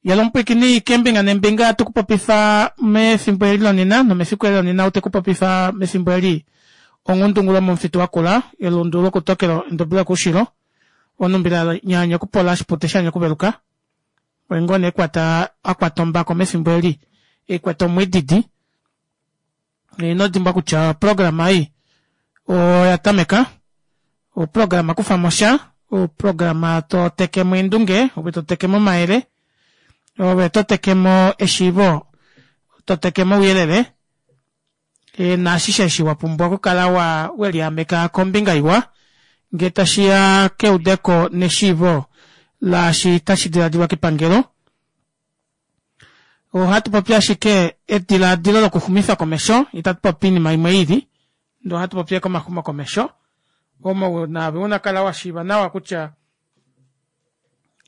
Yela omupwiikini keembinga neembinga tu ku popifa mefimbo eli lonena nomefiku eli lonena ou te ku popifa mefimbo eli onghundungulo momufitu wakula elundu lokutokelo endobi lokoushilo onumbila nyaanya okupola oshipute shanya okuveluka oye ngoo nee kwata a kwata ombako mefimbo eli e kwete omwididi ino dimbwa kutya oprograma ei oya tameka oprograma kufa mo sha oprograma to tekemo eendunge ove to tekemo omayele ove to tekemo eshiivo to tekemo ouyelele e, naashishe eshi wa pumbwa okukala wa weliameka kombinga iwa ngee tashi ya keudeko neshiivo laashi tashi diladilwa kepangelo Ohatu popi ashike edilaadilo lokuxumifa komesho, itatu popi oinima imwe i lili, ndele ohatu popi ashike omaxumokomesho omo naave una kala wa shiiva nawa kutya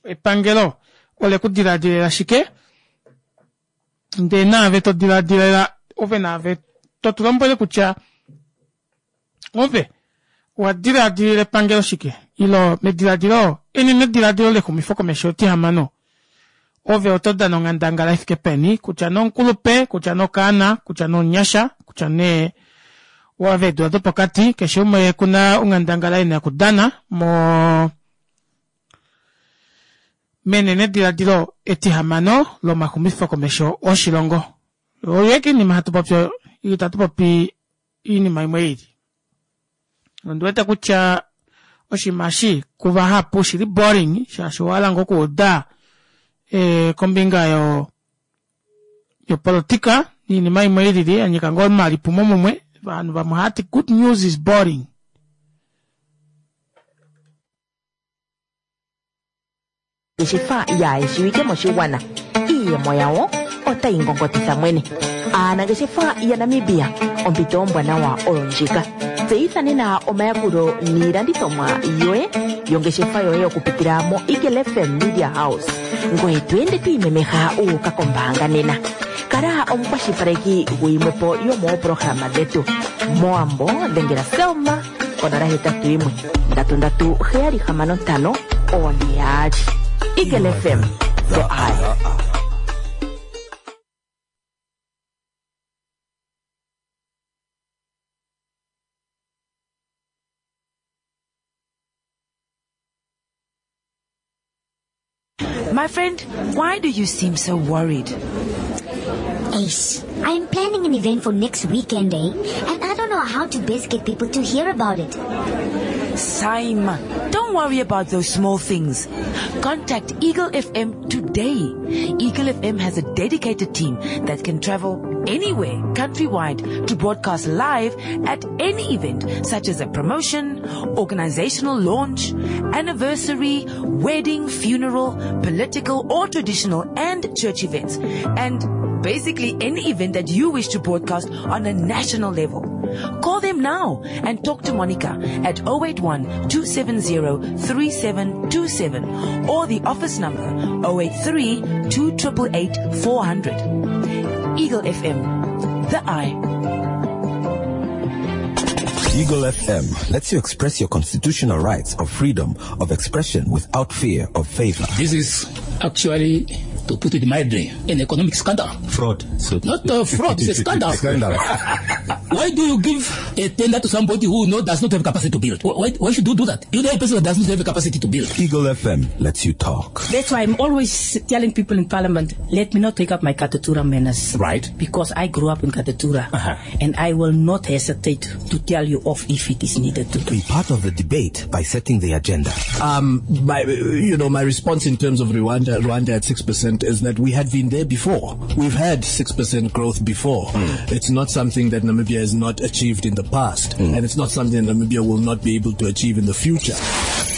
epangelo ole ku dilaadilela shike, ndee naave to dilaadilela ove naave to tu lombwele kutya Ove owa diladilila epangelo shike? Ilo mediladilo enenediladilo lexumifokomesho etihamano, ove oto dana onghandangala i fike peni, kutya nee omukulupe, kutya nee okaana, kutya nee omunyasha, kutya nee owa veedula dopokati, keshe umwe oku na onghandangala e na okudana mo menenediladilo etihamano lomaxumifokomesho oshilongo. Oyo ashike oinima hatu popi oyo, itatu popi iinima imwe ili. Ondi wete kutya oshinima eshi kuvahapu oshili boring shaashi owa hala ngoo okuuda eh, kombinga yo yopolotika niinima imwe ilili ya nyika ngoo omalipumo mumwe. Ovanhu vamwe ohaya ti good news is boring. Aanangeshefa yaayeshiwike moshigwana, iiyemo yawo otayi ngongotitha mwene. Aanangeshefa yaNamibia, ompito ombwanawa oyo ndjika. Tseyitha nena omayakulo niilandithomwa yoye yongeshefa yoye okupitila moEagle FM Media House. Ngoye to ende to imemeha wu uka kombaanga nena. Kala omukwashilipaleki guyimwe po yomoopolohalama dhetu. Mowambo dhengela Selma 081 3376 442. Eagle FM, the eye. My friend, why do you seem so worried? Ace, I'm planning an event for next weekend, eh? And I don't know how to best get people to hear about it. Saima, don't worry about those small things. Contact Eagle FM today. Eagle FM has a dedicated team that can travel anywhere countrywide to broadcast live at any event such as a promotion, organizational launch, anniversary, wedding, funeral, political or traditional and church events. And basically any event that you wish to broadcast on a national level. Call them now and talk to Monica at 081 270 3727 or the office number 083 2888 400. Eagle FM, the eye. Eagle FM lets you express your constitutional rights of freedom of expression without fear of favor. This is actually, to put it mildly, an economic scandal. Fraud. So Not a fraud, it's a scandal. Scandal. Why do you give a tender to somebody who no, does not have capacity to build? Why, why should you do that? You know a person that does not have capacity to build. Eagle FM lets you talk. That's why I'm always telling people in Parliament, let me not take up my Katutura manners. Right. Because I grew up in Katutura. Uh-huh. And I will not hesitate to tell you off if it is needed to. Be part of the debate by setting the agenda. Um, my, you know, my response in terms of Rwanda, Rwanda at 6% is that we had been there before. We've had 6% growth before. Mm. It's not something that Namibia has not achieved in the past. Mm. And it's not something that Namibia will not be able to achieve in the future.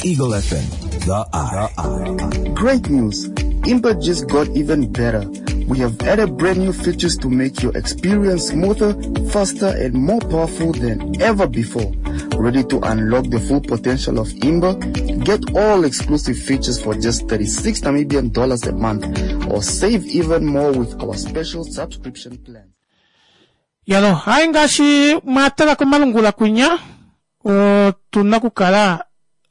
Eagle FM, the eye. Great news. Imba just got even better. We have added brand new features to make your experience smoother, faster, and more powerful than ever before. Ready to unlock the full potential of Imba? Get all exclusive features for just 36 Namibian dollars a month or save even more with our special subscription plan. Yalo, hai ngaashi mwa tala komalungula kwinya, otu na okukala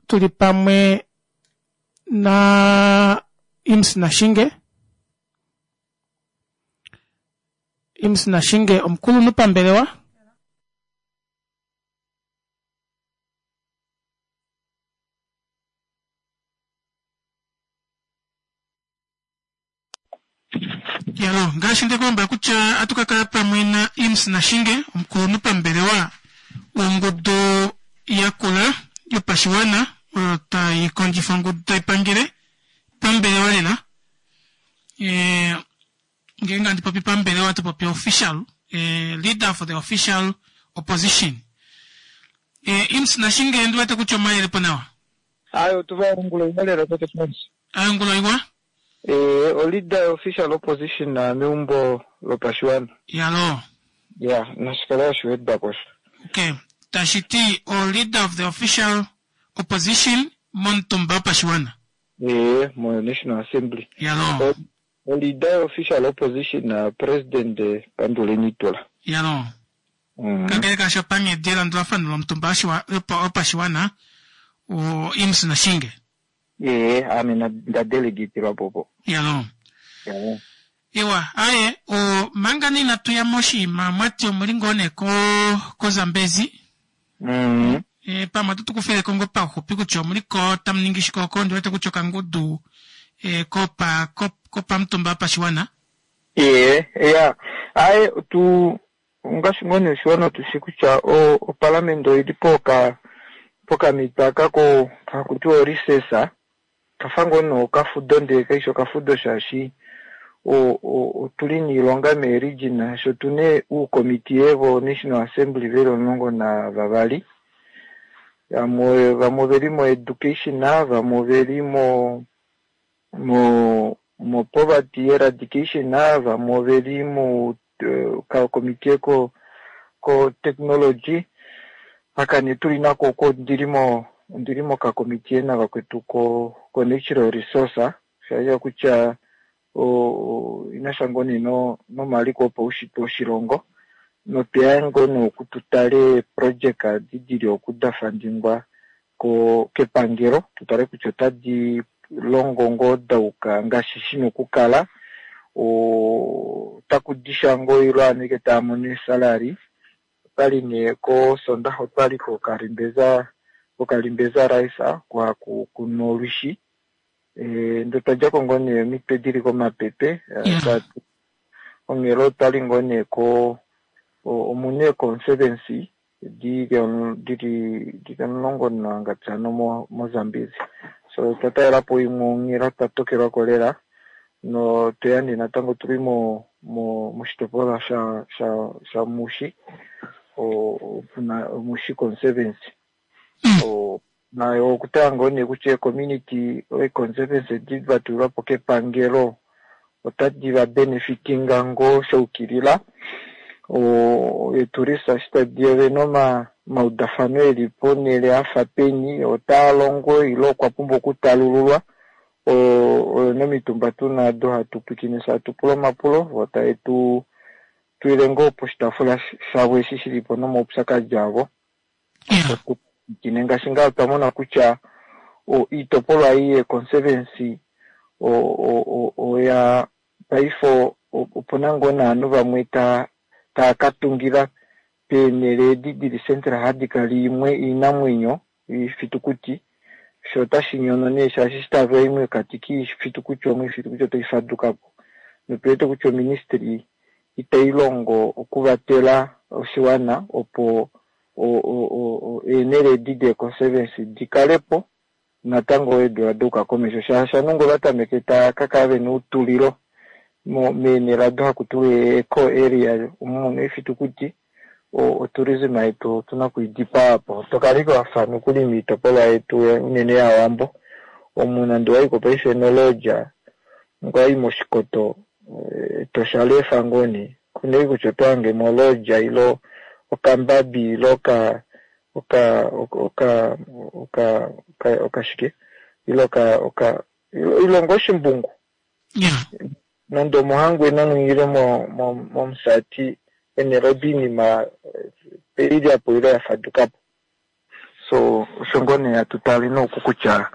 tuli pamwe na Imms Nashinge. Imms Nashinge omukulunhu pambelewa. Yalo, ngaashi nde ku lombwela kutya atu ka kala pamwe na Imms Nashinge, omukulunhu pambelewa wongudu yakula yopashiwana oyo tai kondjifa ongudu tai pangele pambelewa lela. E, ngeenge handi popi pambelewa to popi official, e, leader for the official opposition. E, Imms Nashinge, ndi wete kutya omayele po nawa. Aye, otu va ongula iwa lela tate Frans. Aye, ongula iwa. Ee, o leader yo official opposition meumbo lopashiwana. Yalo. Ya, nashikale hashi wedwako osho. Okay, tashi ti o leader of the official opposition momutumba wopashiwana. Ee, mo National Assembly. Yalo. O leader yo official opposition President Panduleni Itula. Yalo. Kakele kaasho panghedi yelandulafano lomutumba wopashiwana o Imms Nashinge. Ee, ame nda delegatelwa po po. Yalo. Ewa, aye, o manga nee inatu ya moshinima mwati omuli ngoo nee ko koZambezi. Mm. E, pamwe oto tu kufile ko ngoo pauxupi kutya omuli ko tamu ningi shike oko, ondi wete kutya okangudu e, kopa kopamutumba wopashiwana. Ee, ya. Aye, tu Ongaashi ngoo nee oshiwana otu shi kutya opalamende oi li pokamhito aka haku tiwa orecess, kafa ngoo nee okafudo ndele kai shi okafudo shaashi otu li niilonga meeregion shaashi otu na uukomitiye voNational Assembly ve li 12. Vamwe ove li moEducation, vamwe ove li mo poverty eradication, vamwe ove li mu kakomitiye ko ko technology. Aka nee tuli nako oko ndili mo ndili mokakomitiye navakwetu ko ko natural resource, sha kutya inasha ngoo nee nomaliko opaushitwe oshilongo, notweya ngoo nee oku tu tale eeprojeka edi dili oku da fandingwa ko kepangelo, tu tale kutya otadi longo ngoo dauka ngaashi shina okukala, otaku disha ngoo ile ovanhu ashike tava mono eesalary. Otwali nee kosondaxa otwali kokalimbeza kokalimbeza rice kwa kuna olwishi, ndee otwa djako ngoo nee omitwe dili komapepe. Onghela otwali ngoo nee ko omuna eeconservancy dili 15 moZambezi. So otwa talelapo imwe onghela twa tokelwako lela, notweya nee natango tuli moshitopolwa shaMushi, puna Mushi Conservancy. Nayo okutala ngoo nee kutya eecommunity eeconservancy edi vatulilwapo kepangelo otadi va benefitinga ngoo shaukilila. Eetourist eshi tadi ovena omaudafano eli ponhele afa peni, otaa longo ile okwa pumbwa okutalululwa. Oyo nomitumba tuna ado hatu pwiikine fye hatu pula omapulo, vo tave tu twile ngoo poshitaafula shavo eshi shilipo nomaupyakadi avo. Opo tu pwiikine ngaashi ngaa otwa mona kutya oitopolwa ei yeconservancy oya paife opuna ngoo novanhu vamwe tava ka tungila peenhele edi dili central hadi kala imwe oinamwenyo oifitukuti, sho otashi nyono nee shaashi eshi tava i mokati koifitukuti omo oifitukuti otai faduka po. Notu wete kutya oministry itai longo okuvatela oshiwana opo eenhele edi deeconservancy di kale po natango eedula dauka komesho, shaashi ovanhu ngee ovatameke tava ka kala vena outulilo meenhele ado haku tiwa eco area omo muna oifitukuti, otourism yetu otuna okwiidipaa po. Tokala ashike wafa nokuli moitopolwa yetu unene yaWambo, omu nande owaiko paife nolodge ngee owayi mOshikoto Etosha leefa ngoo nee, kuna ashike kutya oto hange mo olodge ile okambabi ile oka oka oka oka okashike ile oka oka ile ngoo oshimbungu. Nande omoHangwena ile mOmusati eenhele odo oinima oilyapo ile ya fadukapo. So osho ngoo nee hatu tale nooku kutya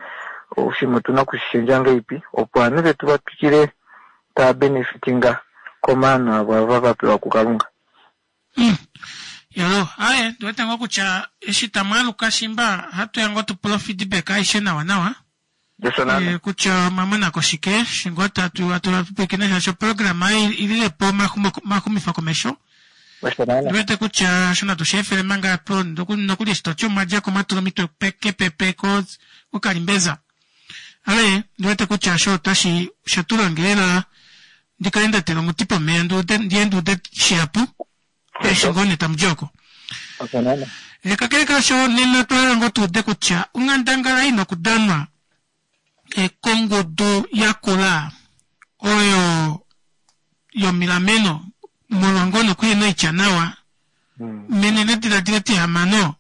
oshinima otuna okushishendja ngahelipi opo ovanhu vetu va twikile tava benefitinga komaano avo ava va pewa kuKalunga. Yo, aye, ndiwete ngoo kutya eshi tamu aluka shimba ohatu ya ngoo tu pule feedback aishe nawa nawa. Eh, kutya omwa mona ko shike shi ngoo tatu hatu pwilikine shaashi oprograma ei ilile po omaxumifo komesho. Ndiwete kutya osho natu shi efele manga apo nokuli eshi toti omwa dja ko mwa tula omitwe kepepe kokalimbeza. Ale, ndiwete kutya osho otashi osha tula nge lela ndi kale nda tela omuti pomeya nduude ndiye nduude shihapu eshi ngoo nee tamu di oko. Eh, kakele kaasho nena otwa hala ngoo tuude kutya onghandangala ina okudanwa eh, kongudu yakula oyo yomilameno molwa ngoo nokuhena oitya nawa menenediladilo etihamano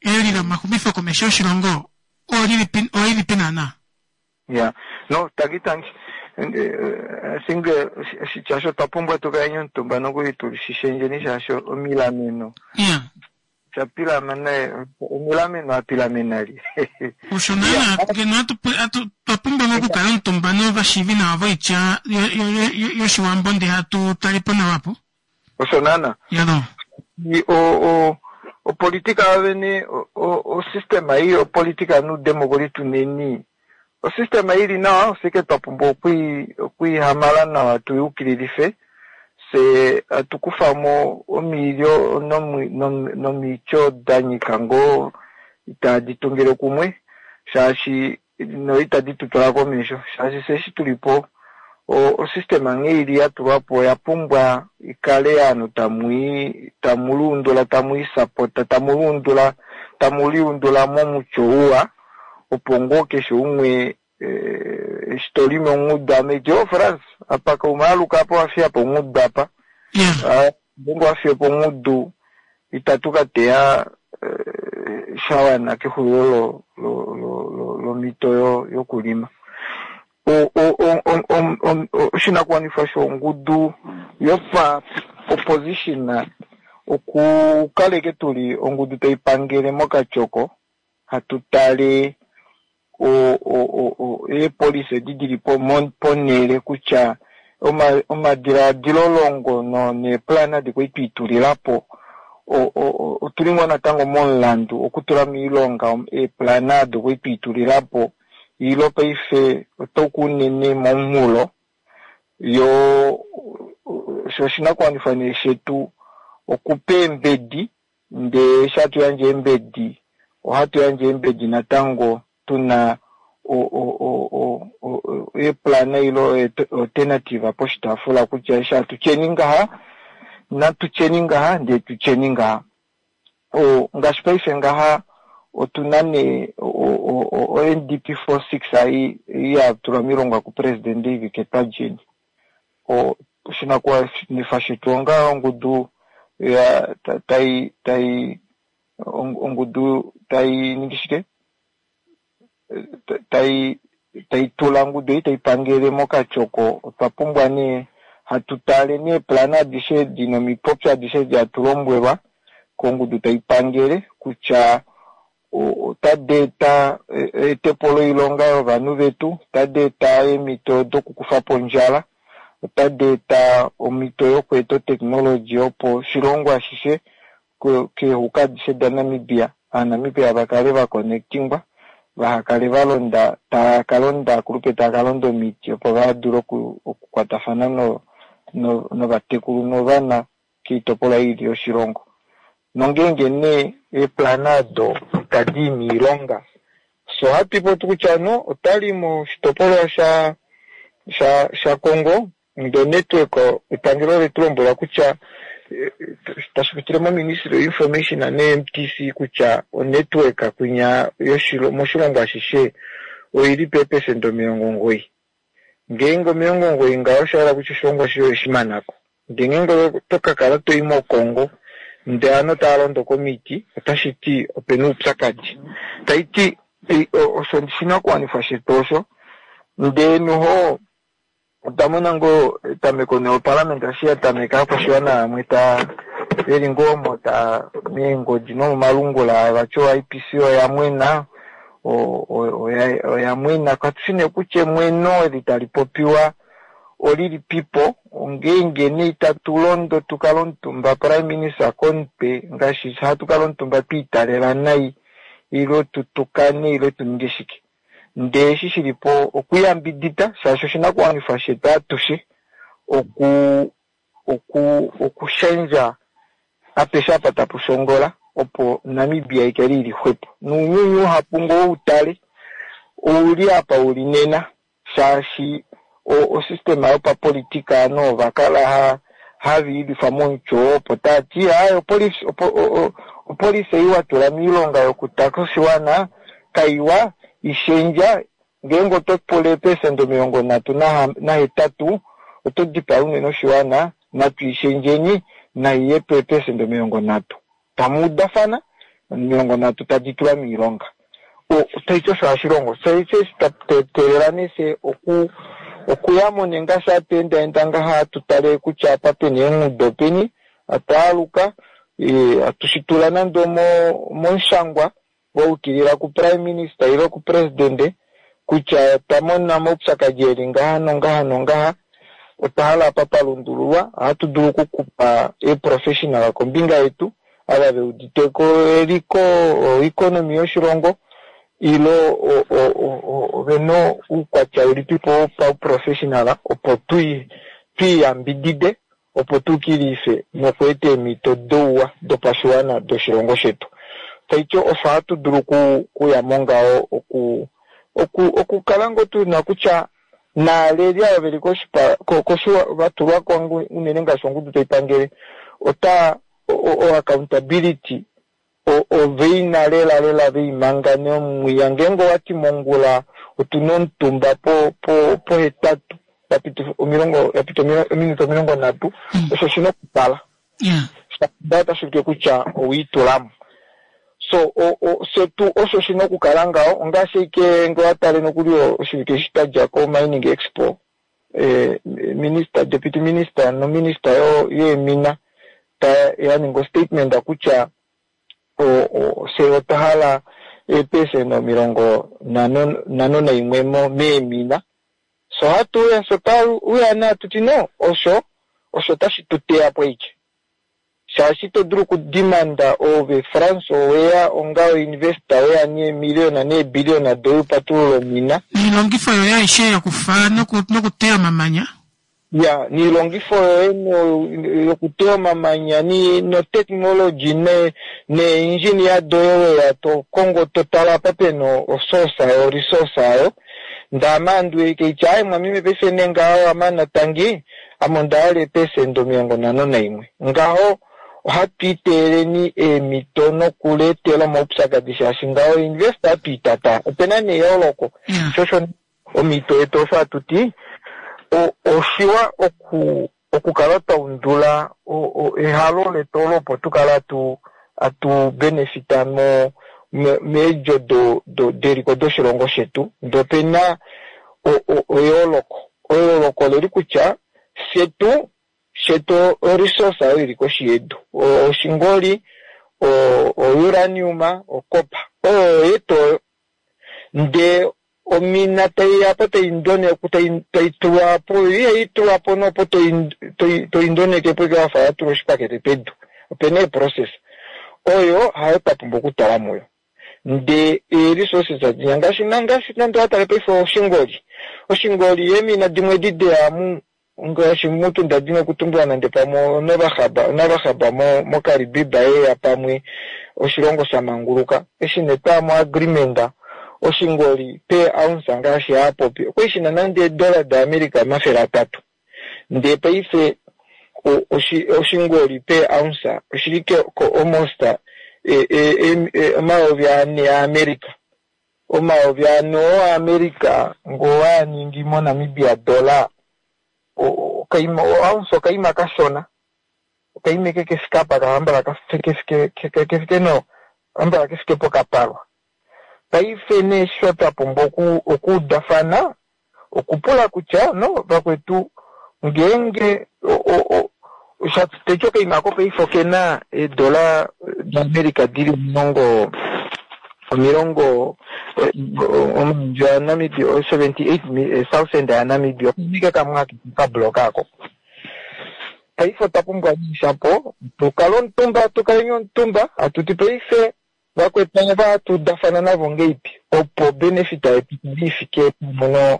eli lomaxumifo komesho oshilongo olilipi oilipi naana? Yeah. No, tangi tangi. I think oshitya osho otwa pumbwa tu kale omutumba nokuli tu shi shendjeni shaashi omilameno. Yeah. Osha pilamena omilameno a pilamena li. Osho naana ngeno hatu twa pumbwa ngoo okukala omutumba novashiivi nawa voitya yOshiwambo ndee hatu tale po nawa apo. Osho naana. Yalo. O opolitika yovene osystem ei yopolitika noudemokoli tuneni osystem ili nawa osike twa pumbwa okwiihamala nawa tuyukililife fye hatu kufa mo omiilyo nomiityo da nyika ngoo itaadi tungile kumwe shaashi no itadi tu twala komesho shaashi fye eshi tuli po osystem nghee ili ya tulwa po oya pumbwa ikale ovanhu tamu luundula tamu i sapota tamu luundula tamu liundula momutyo uwa opo ngoo keshe umwe eshi to limi ongudu ame iti oh Frans apa kaume aluka apa owa fiya po ongudu apa ngeenge owa fiya po ongudu itatu ka teya sha wana kexulilo lomhito yokulima. Oshinakuwanifwa shongudu yopa opposition okukaleke tuli ongudu taipangele mokatyoko hatu tale eepolisi edi dili ponhele kutya omadilaadilo longo neeplana adi kwali twiitulilapo otuli ngoo natango momulandu okutula moilonga eeplana ado kwali twiitulilapo ilo paife otauka unene momunghulo yo osho oshinakuwanifwa nee shetu okupa eembedi ndee eshi hatu yandje eembedi ohatu yandje eembedi natango tuna eeplana ilo alternative poshitaafula kutya eshi hatu tyeni ngaha natu tyeni ngaha ndee tutyeni ngaha. Ngaashi paife ngaha otuna nee o NDP 46 ei ya tulwa miilonga kupresidente Ivike Twajeni. Oshinakuwanifwa shetu onga ongudu tai tai ongudu tai ningi shike tai tai tula ongudu ei taipangele mokatyoko otwa pumbwa nee hatu tale neeplana adishe edi nomipopyo adishe edi hatu lombwelwa kongudu taipangele kutya otadi eta eetepo loilonga yovanhu vetu, otadi eta eemhito dokukufa po ondjala, otadi eta omhito yokweeta oteknologi opo oshilongo ashishe keehuka adishe daNamibia Aanamibia vakale vakonectingwa vahakale valonda tava kalonda akulupe tava kalonda omiti opo vadule okukwatafana novatekulu novana koitopolwa ili yoshilongo. Nongeenge nee eeplana ado itadi i miilonga so ohatu ipopi kutya no otwali moshitopolwa shaKongo ndee onetwork epangelo letu lombwela kutya tashi pitile moministry yoinformation ne-MTC kutya onetwork kwinya moshilongo ashishe oili peepesenda 90. Ngeenge 90 ngaho osha hala kutya oshilongo ashishe oshimanako. Ndee ngeenge oto kakala toi moKongo ndee ovanhu otava londo komiti otashi ti opena oupyakadi. Taiti osho oshinakuwanifwa shetu osho ndee noho otwa mona ngoo etameko neoparlament eshi ya tameka aakwashiwana vamwe ta veli ngoo omo ta meengodi nomomalungula vati o-IPC oya mwena oya mwena katushi nee kutya emweno eli tali popiwa Olilipipo ongeenge nee itatu londo tukale omutumba prime minister komutwe ngaashi hatu kala omutumba twiitalela nai ile tutukane ile tuninge shike. Ndee eshi shilipo okuyambidida shaashi oshinakuwanifwa shetu atushe okushendja apeshe apa tapu shongola opo Namibia ikale ili xwepo. Nounyuni uhapu ngoo utale ouli apa uli nena shaashi osystema yopapolitika ano ovakala hava ilifa momutyo opo taati aye opolisi ei watula miilonga yokutaka oshiwana kaiwa ishendja ngeenge oto pula eepesenda 38 oto dipaa unene oshiwana natu ishendjeni naiye po eepesenda 30 tamuudafana 30 tadi tulwa miilonga. Taiti osho hashi longo teelela nee okuyamo nengaashi hatu endaenda ngaha hatu tale kutya apa pena eengudo peni atwaaluka atushitula nande momushangwa waukilila ku prime minister ile ku president kutya twamona omaupyakadi eli ngaha nongaha nongaha otwa hala apa palundululwa. Ohatu dulu okukupa eeprofessional kombinga yetu ava veuditeko eliko oeconomy yoshilongo ile ovena oukwatya ulipipo pauprofessional opo twiyambidide opo tukilife nokweeta eemhito douwa dopashiwana doshilongo shetu. Taiti osho hatu dulu kuyamo ngaho okukala ngoo tuna kutya naaleli ava veli vatulwako unene ngaashi ongudu taipangele ota o-accountability oveina lela lela veimanga nomwiya ngeenge owati mongula otuna omutumba pohetatu yapita ominute 30 osho shina okukala otashi ulike kutya owiitulamo. So setu osho shina okukala ngaho ongaashi ike ngee owatale nokuli oshivike eshi twadja ko-mining expo minister deputy minister nominister yeemina yaninga statement kutya fye otwa hala eepesenda 51 meemina. So hatuuya so twauya nee atuti no osho otashi tuteya po ike shaashi ito dulu okudimanda ove France oweya onga oinvestor weya neemiliona neebiliona doye upatulula omina niilongifo yoye aishe yokufa nokuteya omamanya ya niilongifo yoye yokuteya omamanya notechnology neengineer doye weya tokongo totala apa pena osource ayo resource ayo ndaamandu keitya aye mwamime paife nee ngaho amana tangi ame ondahala eepesenda 51 ngaho ohatu iteeleni eemhito nokuleetela omaupyakadi shaashi ngaho investor hatu itata opena neyooloko. Shosho omhito yetu osho hatuti oshiwa okukala twaundula ehalo letu olo opo tukale atu benefita meedjo deliko doshilongo shetu. Ndee opena eyooloko. Eyooloko oleli kutya shetu oresource oyo ili koshi yedu oshingoli, ouranium, okopa oyo yetu oyo. Ndee omina taiyapo taitulwapo ihaitulwapo nopo toindonekepo ike wafa watula oshipakete pedu. Opena eeprocess oyo hayo twapumbwa okutala muyo. Ndee ee-resources adinya ngaashi nande owatale paife oshingoli oshingoli eemina dimwe edi deyamu ngaashi mutunda dina okutumbula nande pamwe onavahaba moKaribiba yeya pamwe oshilongo shamanguluka eshi nee twaya agreement oshingoli per ounce ngaashi haapopi okwali shina nande eedola daAmerica 300. Ndee paife oshingoli per ounce oshili ko almost 4,000 aAmerica. 4,000 oo aAmerica ngoo waaningi moNamibia dollar ounce okaima kashona okaima eke kefike apa kahambala kefike no hambala kefike pokapalwa. Paife nee sho twapumbwa okuudafana okupula kutya no vakwetu ngeenge teti okaima ako paife okena eedola daAmerica dili omilongo omayovi aNamibia 78,000 yaNamibia okunike kamwe akeke okabloka ako. Paife otwa pumbwa shapo tukale omutumba, tukaleni omutumba atuti paife vakwetu ava hatu udafana navo ngeipi opo benefit yetu ifike pamwe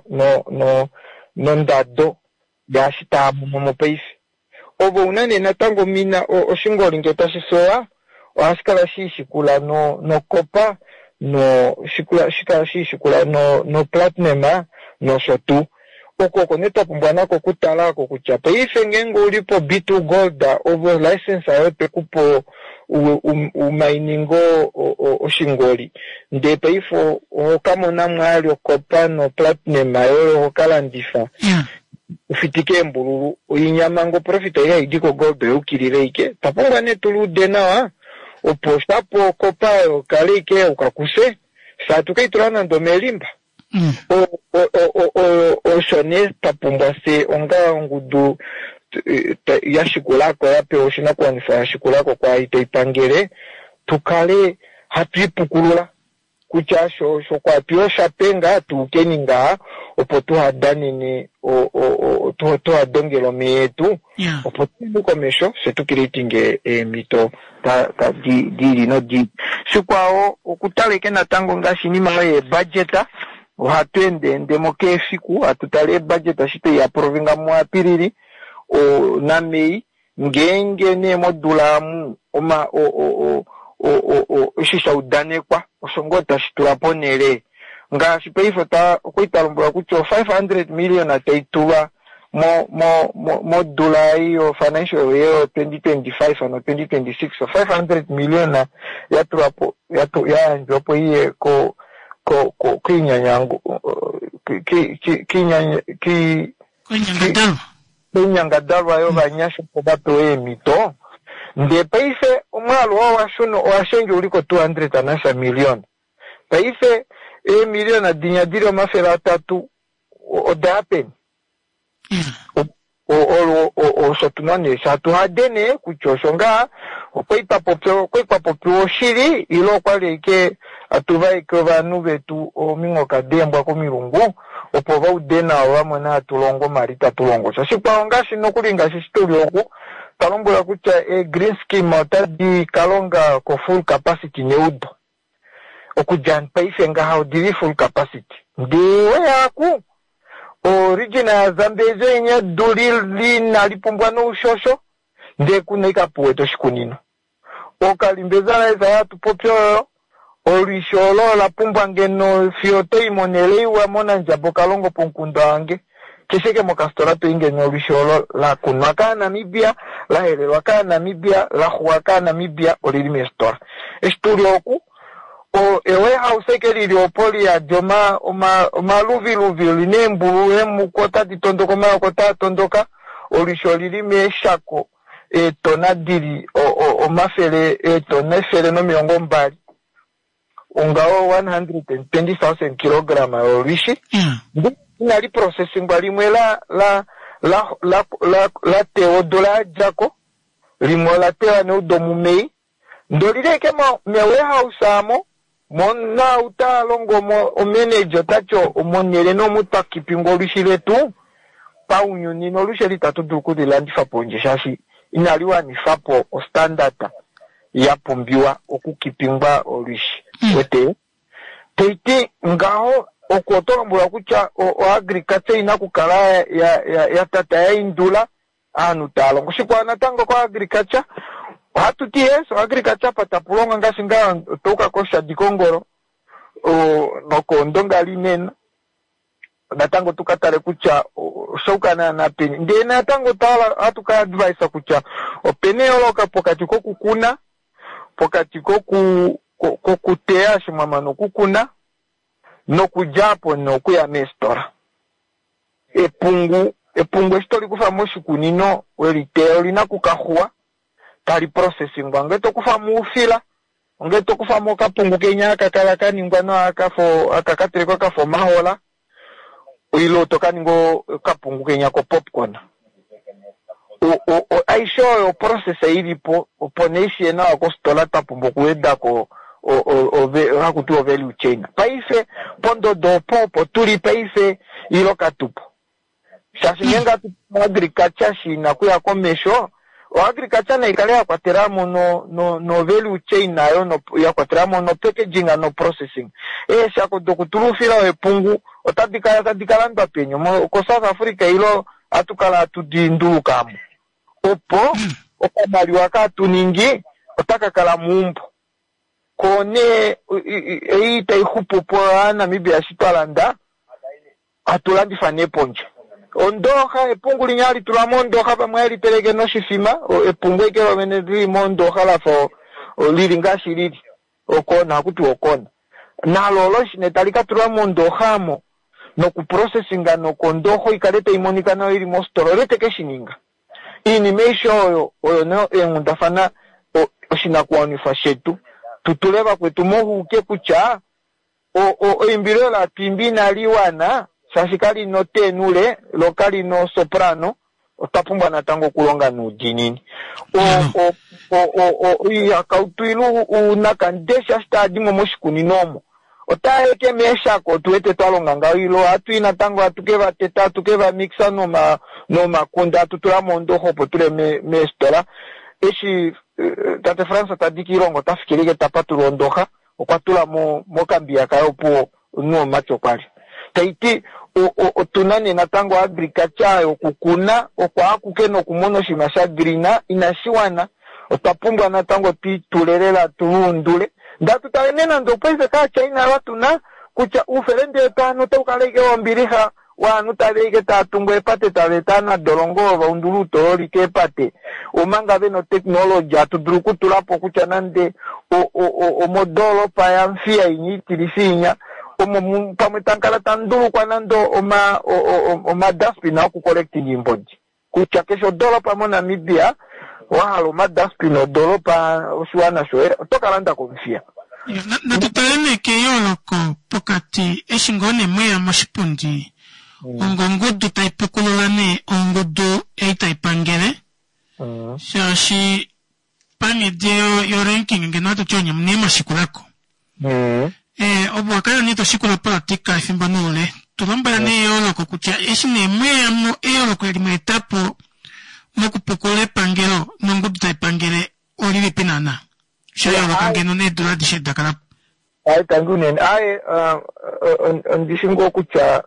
nondado yaashi taa mono mo paife. Ovo una nee natango mina oshingoli ngee tashi fewa ohashi kala shiishikula nokopa no shikala shiishikula no platinum nosho tuu. Oko oko nee twa pumbwa nako okutala oko kutya paife ngeenge uli po B2 Gold ovo license ayo tekupo umainingo oshingoli ndee paife ohokamona mwaali okopa no platinum ayo ohokalandifa ufitike embululu oinyama ngo profit ei haidi ko gold oyukilile ike. Twapumbwa nee tuluude nawa opo shapo okopa oyo kale ike ukakuse saa tukaitula nande omelimba. Osho nee twapumbwa fye onga ongudu yashikulako yapewa oshinakuwanifwa yashikulako kwaai taipangele tukale hatu ipukulula kutya sho kwatu oshapenga tuukeni ngaha opo tuhadanene tuhadongele omeya etu opo tuye komesho fye tukireitinge eemhito dili nodili. Shikwao okutaleke natango ngaashi inima oyo yeebudget ohatu endeendemo keefiku hatu tale eebudget eshi tweiaprovinga muApilili naMei ngeenge nee modula amu eshi shaudanekwa osho ngoo tashi tula ponhele ngaashi paife okwali twalombwelwa kutya 500 million taitulwa modula ei financial year 2025 no 2026 500 million yatulwapo yayandjwapo iye koinyangadalwa yovanyasha opo vapewe eemhito. Ndee paife omwaalu oo owashendja uli ko 200 nasha million. Paife eemiliona dinya dili 300 odaya peni? Osho tuna nee shatuhade nee kutya osho ngaa okwali twapopiwa oshili ile okwali ike atuvaeke ovanhu vetu ominghoka deembwa komilungu opo vaude nawa vamone hatu longo mali tatulongo. Shikwao ngaashi nokuli ngaashi shituli oku twalombwelwa kutya e-green scheme otadi kalonga ko full capacity neudo. Okudja paife ngaha odili full capacity. Ndee weyaku origin ya Zambezi oinya edu inali pumbwa noushosho ndee kuna ikapuwete oshikunino. Okalimbeza laesa hatupopi oyo olwisho olo ola pumbwa ngeno fiyo toimonele iwa monandjaba okalongo pomukunda wange kesheke mokasitola toi ngeno olwisho olo lakunwa kaaNamibia lahelelwa kaaNamibia laxuwa kaaNamibia olili meesitola. Eshi tuli oku ewarehouse eke lili opo liyadi omaluviluvi lina eembulu eemuku otadi tondoka omayoko otaa tondoka olwisho olili meeshako eetona dili omafele eetona 120 ongaho 120,000 kilogram yolwishi. Inali processingwa limwe la tewa odula yadjako limwe ola tewa neudo muMei ndee olili ashike mewarehouse amo mona utalongo omanager otati omonhele nomu twakipingwa olwishi letu paunyuni nolwishi eli itatu dulu okulilandifa pondje shaashi inali wanifapo ostandard ya pumbiwa okukipingwa olwishi. Wete taiti ngaho oku oto lombwelwa kutya oagriculture ina okukala ya tata yaindula aanhu taalongo. Shikwao natango koagriculture ohatu ti yes oagriculture apa tapulonga ngaashi ngaa otouka koshadi kongolo nokoondonga linene natango tukatale kutya oshauka naana peni. Ndee natango ohatu ka advise kutya opena eyooloko pokati kokukuna pokati kokuteya eshi mwamana okukuna nokudjapo nokuya meesitola. Epungu eshi tolikufa moshikunino weliteya olina okukaxuwa tali processingwa ngee tokufamo oufila ongee tokufamo okapungu kenya aka kala kaningwa nawa aka katelekwa kafa omahola ile tokaninga okapungu kenya ko popcorn. Aishe oyo process ilipo opo nee ishiye nawa kositola twapumbwa okuwedako Haku tiwa o-value chain. Paife pondodo opo opo tuli paife ilo katupo. Shaashi ngeenge hatu agriculture shi na kuya komesho, o-agriculture nai kale ya kwatela mo no, no, no value chain nayo no, ya kwatela mo no packaging no processing. Eeshako dokutula oufila wepungu otadi kala tadi ka landwa peni? Ko-South Africa ilo hatu kala hatu di ndulukamo. Opo okamaliwa ka hatu ningi otaka kala meumbo. Ko nee ei tai xupu po Namibia eshi twa landa, hatu landifa nee pondje. Ondooxa, epungu linya hali tulwa mondooxa, vamwe hali teleke noshifima, epungu eke lovene lili mondooxa lafa lili ngaashi lili. Okona, haku tiwa okona. Nalo olo eshi nee tali ka tulwa mondooxa amo, nokuprocesinga nokondooxa ikale tai monika nawa ili mositola, olye te ke shi ninga? Iinima aishe oyo, oyo nee eenghundafana oshinakuwanifwa shetu. Tu tule vakwetu mohuke kutya eimbilo olo hatu imbi inali wana, shaashi kali na otenure, lo kali na osoprano, otwa pumbwa natango okulonga noudiinini. Oihakautu ile uunakandesha eshi taa di mo moshikunino omo, otaa eke meeshako, otu wete twa longa ngaho, ile ohatu i natango hatu ke va teta, hatu ke va mixa nomakunde, hatu tula moondoxa opo tule meesitola. Eshi tate Frans ta di kiilongo, ota fikile ike ta patulula ondoxa, okwa tula mokambiya kaye opo omunhu womumati okwa li. Tai ti, otu na nee natango agriculture yokukuna, oko akuke nokumona oshinima sha green, inashi wana. Otwa pumbwa natango tu itule lela, tu luundule. Ndee hatu tale nee nande opaife kaaChina ava tu na, kutya oufelende wetu ovanhu otau kala ashike wombilixa, wovanhu tava ashike tava tungu eepate, tava eta ovanadolongo ovo va undula outololi keepate, omanga ve na otechnology hatu dulu okutula po kutya nande omodoolopa yaMuthiya inya itilifi inya, omo pamwe tamu kala tamu ndulukwa nande omadustbin okucollecting iimbodi. Kutya keshe odoolopa moNamibia wa hala omadustbin odoolopa oshiwana shoye, oto ka landa koMuthiya. Natu tale nee keyooloko pokati eshi ngoo nee mweya moshipundi ongongudu tai pukulula nee ongudu ei tai pangele, shaashi panghedi yo ranking ngeno ohatu ti onye nee mwashikulako. Ovo wa kala nee to shikula opolitika efimbo noule, tu lombwela nee eyooloko kutya eshi nee mweya mo eyooloko eli mwa eta po mokupukulula epangelo nongudu tai pangele olilipi naana? Sha yooloka ngeno needula adishe da kala po. Aye, tangi unene. Aye, ondi shi ngoo kutya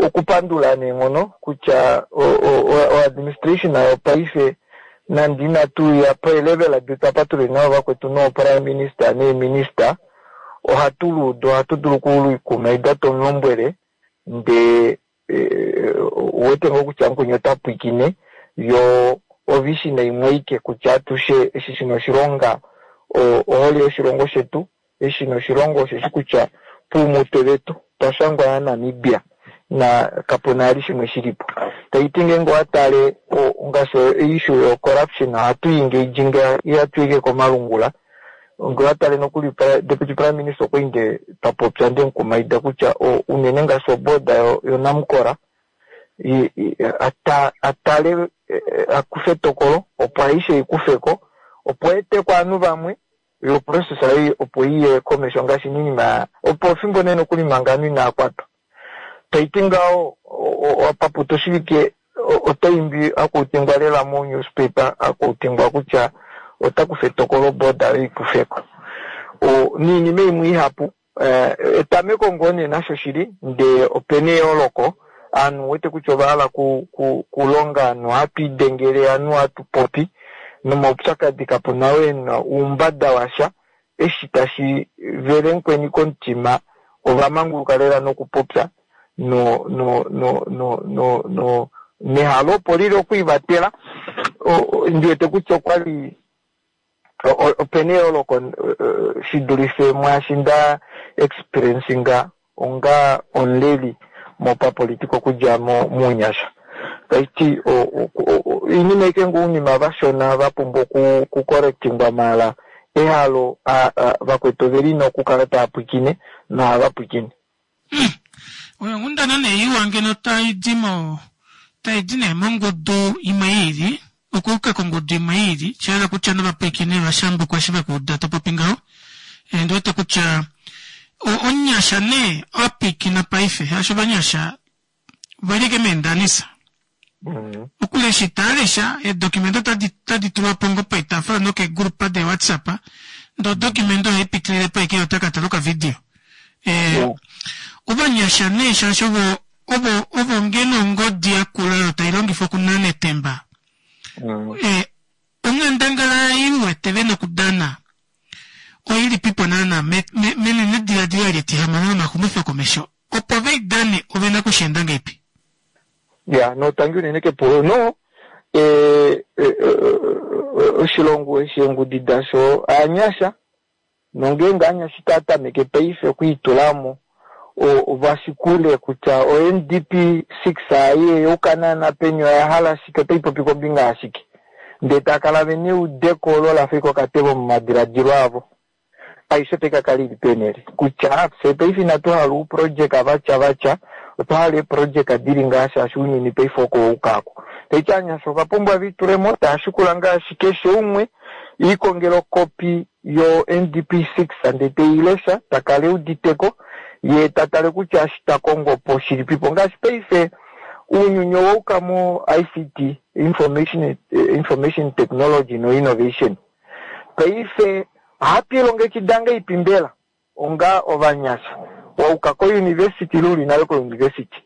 okupandula neenghono kutya o-administration yopaife nande inatu ya pelevel detu apa tuli navo vakwetu nooprime minister neeminister, ohatu luudu, ohatu dulu okuluikumaida tomulombwele ndee uwete ngoo kutya mukweni ota pwiikine, yo ovision imwe aike kutya atushe eshi shina oshilonga ohole yoshilongo shetu, eshi shina oshilongo osheshi kutya puumutwe vetu twa shangwa yaNamibia na kapuna ali shimwe shilipo. Taiti ngeenge owa tale ngaashi issue yo corruption ohatu i engage nge ihatu i komalungula. Nge owa tale nokuli Deputy Prime Minister okwa inde twa popya nde mukumaida kutya unene ngaashi oboda yoNamcor atale akufe etokolo opo aishe ikufeko opo eteko ovanhu vamwe yo process ei opo iye komesho ngaashi ninima opo fimbo nee nokuli manga ovanhu inaa kwatwa. Taiti ngaho paputa oshivike otaimbi akuutingwa lela mo newspaper akuutingwa kutya ota kufa etokolo boda yo ikufeko. Niinima imwe ihapu etameko ngoo nee nasho shili ndee opena eyooloko ovanhu wete kutya ova hala kulonga ovanhu ohatu idengele ovanhu ohatu popi nomaupyakadi kapuna we na oumbada washa eshi tashi vele mukweni komutima ova manguluka lela nokupopya no no no no no no nehalo opo lili okwiivatela. Ndi wete kutya okwali opena eyooloko shi dulife mwaashi nda experiencinga onga omuleli mopapolitika okudja muunyasha. Taiti oinima aike ngoo ounima vashona va pumbwa okucorrectingwa maala ehalo vakwetu oveli na okukala tava pwiikine nohava pwiikine. Oyo onghundana nee iwa ngeno tai di mo tai di nee mongudu imwe i ili okuuka kongudu imwe i ili, sha hala kutya novapwiikini ovashambukwa eshi ve ku uda to popi ngaho. Ndi wete kutya omunyasha nee apikina paife shaashi ovanyasha velike meendanisa. Okulesha itaa eedokumende otadi tulwa po ngoo poitaafula nokeegrupa deewhatsapp ndee odokumende oyo haipitilile po ashike ota ka tala okavidio. Ovanyasha nee shaashi ovo ovo ovo ngeno ongodi yakula oyo tai longifwa okunana etemba. Onghandangala ei u wete vena okudana oilipipo naana menenediladilo eli etihamano lomaxumifo komesho opo veidane ovena okusheenda ngeipi? Ya, no tangi unene kepulo. No, oshilongo eshi eengudi dasho aanyasha, nongeenge aanyasha itaa tameke paife okwiitulamo ovashikule kutya o NDP 6 aye yauka naana peni oya hala shike, otai popi kombinga yashike. Ndee taa kala vena eudeko olo lafa ike okatebo momadiladilo avo. Aishe otai ka kala ili peenhele. Kutya fye paife inatu hala ouprojeka vatya vatya, otwa hala eeprojeka dili ngaa shaashi ounyuni paife oko wauka ako. Taiti aanyasha ova pumbwa viitulemo, taa shikula ngaashi keshe umwe iikongela okopi yo NDP 6 ndee teilesha, takala euditeko, ye tatale kutya eshi ta kongo po shilipipo. Ngaashi paife ounyuni owauka mo ICT, Information Technology no Innovation. Paife ohatu ilongekida ngeipi mbela onga ovanyasha wauka ko university ile uli nale ko university.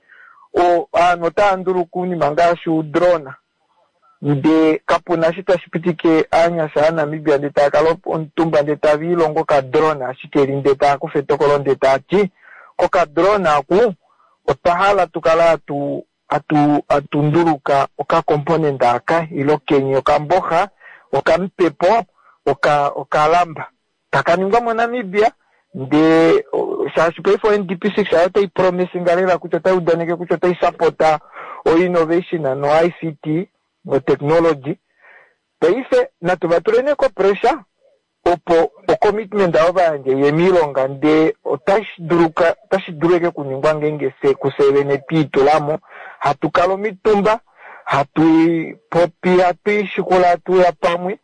Ovanhu otava nduluka ounima ngaashi oudrona ndee kapuna eshi tashi pitike aanyasha aNamibia ndee tava kala omutumba ndee tava ilongo okadrona ashike eli ndee tava kufa etokolo ndee taati kokadrona aku otwa hala tukale hatu nduluka okacomponent aka ilo kenye okamboxa okamupepo okalamba taka ningwa moNamibia ndee shaashi paife o NDP 6 ayo otai promisinga lela kutya otai udaneke kutya otai sapota o innovation no ICT no technology. Paife natu va tuleni ko pressure opo o commitment avo vayandje iye miilonga ndee otashi dulu eke kuningwa ngeenge kufye vene twiitulamo hatu kala omitumba hatu popi hatu ishikula hatu uya pamwe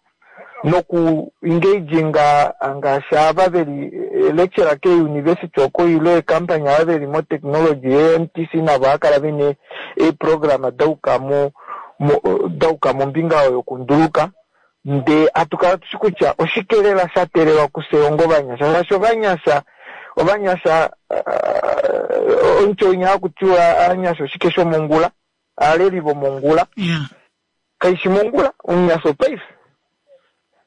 noku engaginga ngaashi ava veli lecturer ke university oko ile eekampany ava veli mo technology ye MTC navo ohakala vena eeprograma dauka mombinga oyo yokunduluka ndee hatu kala tushi kutya oshike lela sha teelelwa kufye onga ovanyasha shaashi ovanyasha omutyo winya hakutiwa aanyasha oshike shomongula aaleli vomongula kaishi mongula omunyasha opaife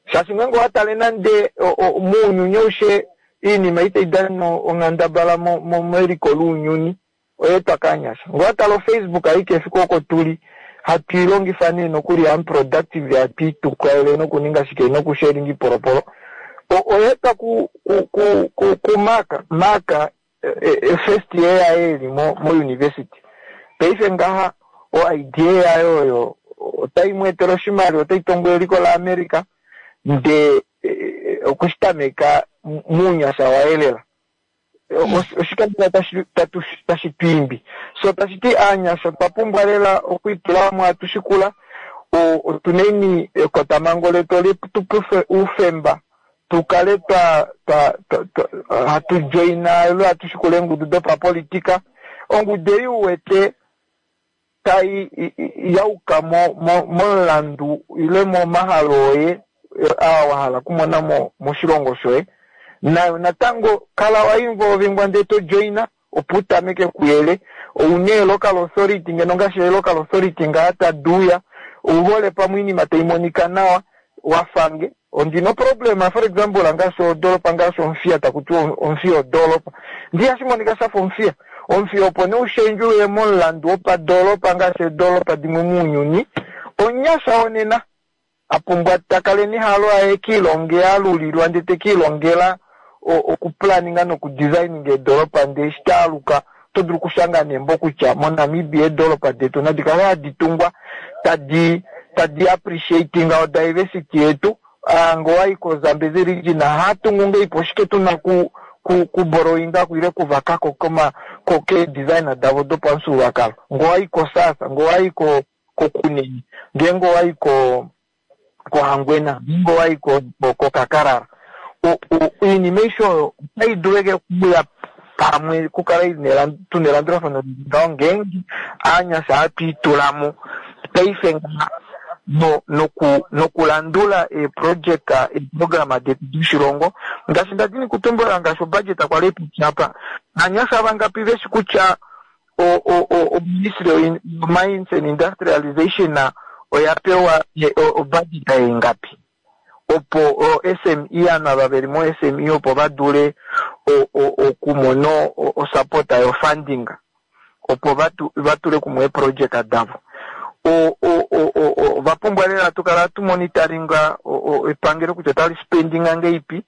shaashi ngeenge owatale nande mounyuni aushe iinima itai dana onghandabala meliko lounyuni oyeetwa kaanyasha. Ngee owatale oFacebook aike efiku oko tuli hatu ilongifa nee nokuli unproductive hatu itukaele nokuninga shike nokusharinga ipolopolo oyeetwa ku Mark first year yaye eli mo university. Paife ngaha o idea yayo oyo otai mweetele oshimaliwa, otai tongo eliko la America ndee okushitameka muunyasha waye lela. Oshikandela tashi twiimbi. So tashi ti aanyasha otwa pumbwa lela okwiitulamo hatu shikula otuneni ekotamango letu oletupe oufemba tukale hatu joina ile hatu shikula eengudu dopapolitika. Ongudu ei uwete tai yauka momulandu ile momahalo oye aa wahala okumona moshilongo shoye. Nayo natango kala wa involvingwa ndee to joina opo utameke kuyele. Ouna local authority ngeno ngaashi local authority ngaa taduuya ouhole pamwe oinima tai monika nawa wafange. Ondina problema for example ngaashi odoropa ngaashi Omuthiya takutiwa Omuthiya odoropa ndi hashi monika shafa Omuthiya. Omuthiya opo nee ushendje uye momulandu wopadoropa ngaashi eedoropa dimwe mounyuni omunyasha wonena apumbwa takale nehalo aye kiilonge alulilwa ndee tekiilongela okuplaninga nokudesigninga eedoropa ndee eshi taaluka oto dulu okushanga nembo kutya moNamibia eedoropa detu nadi kale hadi tungwa tadi appreciatinga o diversity yetu. Ngee owayi koZambezi region hatungu ngeipo oshike tuna kuborrowinga ile kuvakako keedesign davo dopamufyuululwakalo. Ngee owayi koSasa, ngee owayi koKunene, ngeenge owayi koHangwena, ngeenge owayi koKakarara. Oinima aishe oyo otai dulu eke okuya pamwe okukala tuna elandulafano ngaho ngeenge aanyasha hatu itulamo paife ngaha nokulandula eeprojeka eeprograma detu doshilongo ngaashi ndadini kutumbula ngaashi obudget kwali ipopya apa aanyasha vangapi veshi kutya oministry mines and industrialization oya pewa obudget ingapi opo SME ovanhu ava veli mo SME opo va dule okumona osupport yofunding opo vatule kumwe eeprojeka davo. Ovapumbwa lela tukala tumonitoringa epangelo kutya otali spendinga ngeipi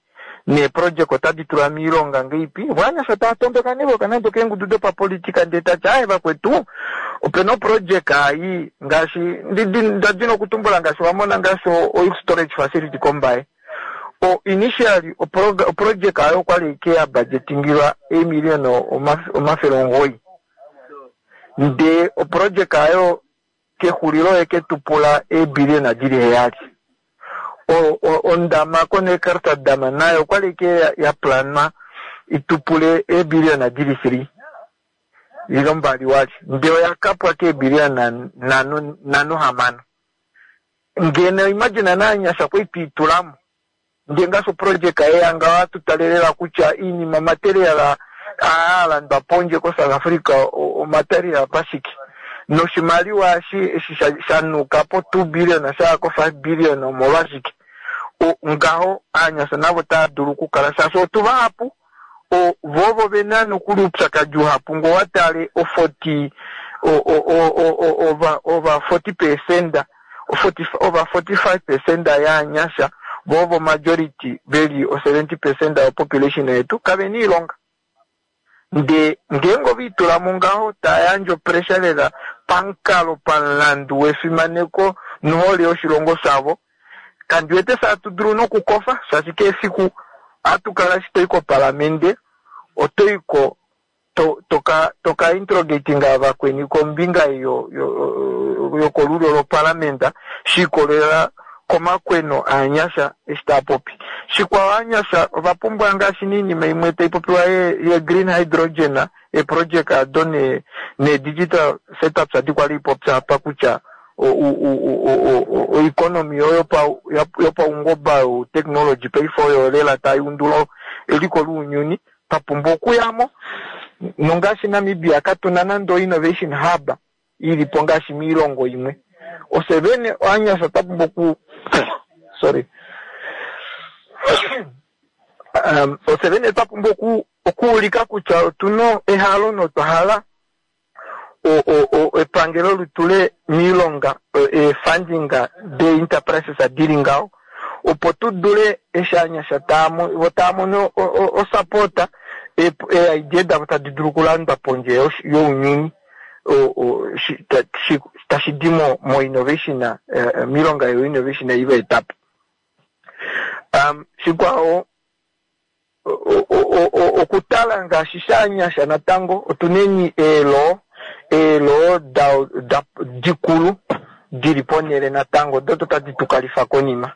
neeprojeka otadi tulwa miilonga ngeipi. Vanyasha tava tondoka nevoka nande okeengudu dopapolitika ndee tati aye vakwetu opena oprojeka ei ngaashi ndadina okutumbula ngaashi wamona ngaashi oil storage facility kombaye. Initially oprojeka ayo okwali ike ya budgetingilwa eemiliyona 900 ndee oprojeka ayo kexulilo eke tupula eebiliyona dili 7. Ondama koNeckartal dam nayo okwali ike ya planwa itupule eebiliyona dili 3 ile 2 wali ndee oya kapwa keebiliyona 5.6. Ngeno imagine naanyasha kwai twiitulamo ndee ngaashi oprojeka yeyanga ohatutalelela kutya iinima material aalandwa pondje ko-South Africa omaterial pashike noshimaliwa eshi shanuka po 2 billion shaya ko 5 billion omolwashike. Ngaho aanyasha navo tava dulu okukala shaashi otu vahapu vovo vena nokuli oupyakadi uhapu ngoo watale o40 ova 40% over 45% yaanyasha vovo majority veli o 70% yopopulation yetu kavena iilonga. Ndee ngeenge oviitulamo ngaho tayandje opressure lela pamukalo pamulandu wefimaneko nohole yoshilongo shavo kandiwete saatudulu nokukofa shaashi kehe efiku ohatu kala eshi toyi kopalamende otoyiko toka interrogatinga vakweni kombinga yokolulo lopalamenda shiikolelela komakweno aanyasha eshi taapopi. Shikwao aanyasha ovapumbwa ngaashi niinima imwe taipopiwa ye green hydrogen eeprojeka ado ne digital setups adi kwali ipopya apa kutya oeconomy yopaungoba youtechnology paife oyo lela taiundula eliko lounyuni twapumbwa okuyamo. Nongaashi Namibia katuna nande innovation hub ilipo ngaashi miilongo imwe. Ofye vene aanyasha twapumbwa oku sorry ofye vene twapumbwa okuulika kutya otuna ehalo notwa hala epangelo litule miilonga eefunding dee-enterprises dili ngaho opo tudule eshi aanyasha vo taamono osupport ee-idea davo tadi dulu okulandwa pondje younyuni tashi di mo innovation miilonga yo innovation ei vaetapo. Shikwao okutala ngaashi shaanyasha natango otuneni eelo dikulu dili ponele natango doto tadi tukalifa konima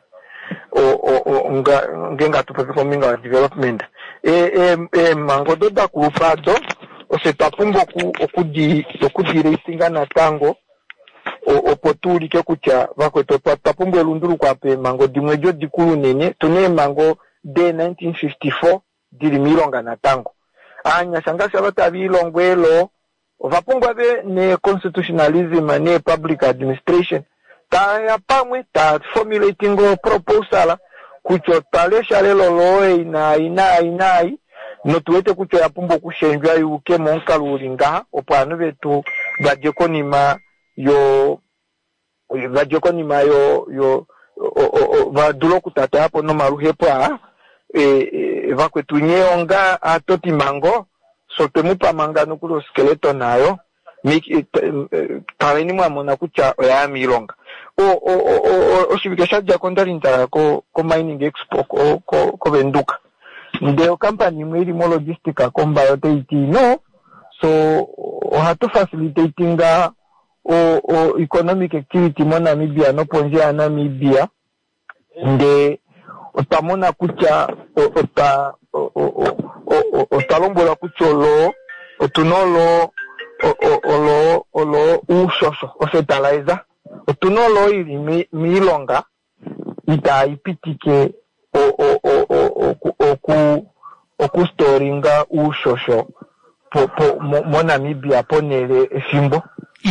ngeenge hatu popi kombinga yo development. Eemhango odo dakulupa ado ofye twapumbwa okudireisinga natango opo tuulike kutya vakwetu twapumbwa elunduluko apa eemhango dimwe edi odikulu unene. Tuna eemhango de 1954 dili miilonga natango. Aanyasha ngaashi ava tava ilongo eelo ovapumbwa ve ne constitutionalism ne public administration taya pamwe ta formulating proposal kutya otwa lesha lela law ei naai naai naai notuwete kutya oya pumbwa okushendjwa yuuke momukalo uli ngaha opo ovanhu vetu vadje konima yo vadje konima yo yo vadule okutatayapo nomaluhepo aa. Vakwetu nye onga aatotimhango so twemupa manga nokuli oskeleton ayo kaleni mwamona kutya oyaya miilonga. Oshivike shadjako ondali ndaya ko mining expo koVenduka ndee okampani imwe ili mologistic kombaye otaiti no so ohatu facilitatinga o economic activity moNamibia nopondje yaNamibia ndee Otwa mona kutya otwa otwa lombwelwa kutya oloo otuna oloo oloo oloo uushosho ofetalayiza otuna oloo ili miilonga itaayi pitike oku okustoringa uushosho moNamibia ponele efimbo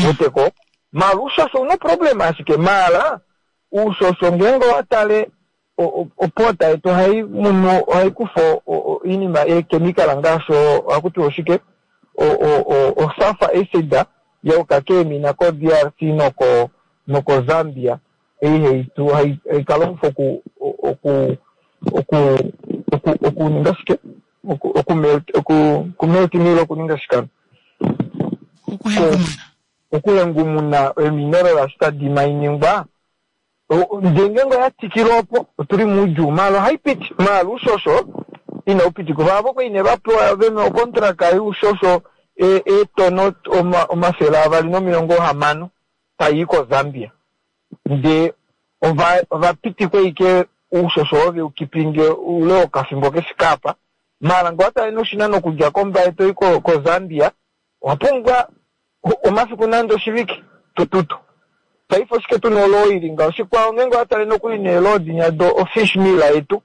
weteko maala uushosho una problem ashike maala uushosho ngeenge owa tale opota yetu ohayi munu ohayi kufa iinima eekemikala ngaashi ohaku tiwa oshike osulfur acid ya uka keemina ko DRC noko noko Zambia ei haitu hai ka longifwa oku oku oku oku okuninga shike oku melt oku kumelt mile okuninga shike okuhengumuna eemineral eshi tadi mainingwa ndee ngeenge oya tikile opo otuli moudjuu maala ohayi piti maala uushosho inau pitikwa vaavo kwali nee vapewa vena okontraka youshosho eetono 260 tayi koZambia ndee ova pitikwa ike uushosho oo veu kipinge oule wokafimbo kefike apa maala ngee owatale nee oshinano okudja kOmbaye toyi koZambia owa pumbwa omafiku nande oshivike tututu. Paife oshike tuna oloo ili ngaho? Shikwao ngeenge owa tale nokuli neeloo dinya do ofish meal yetu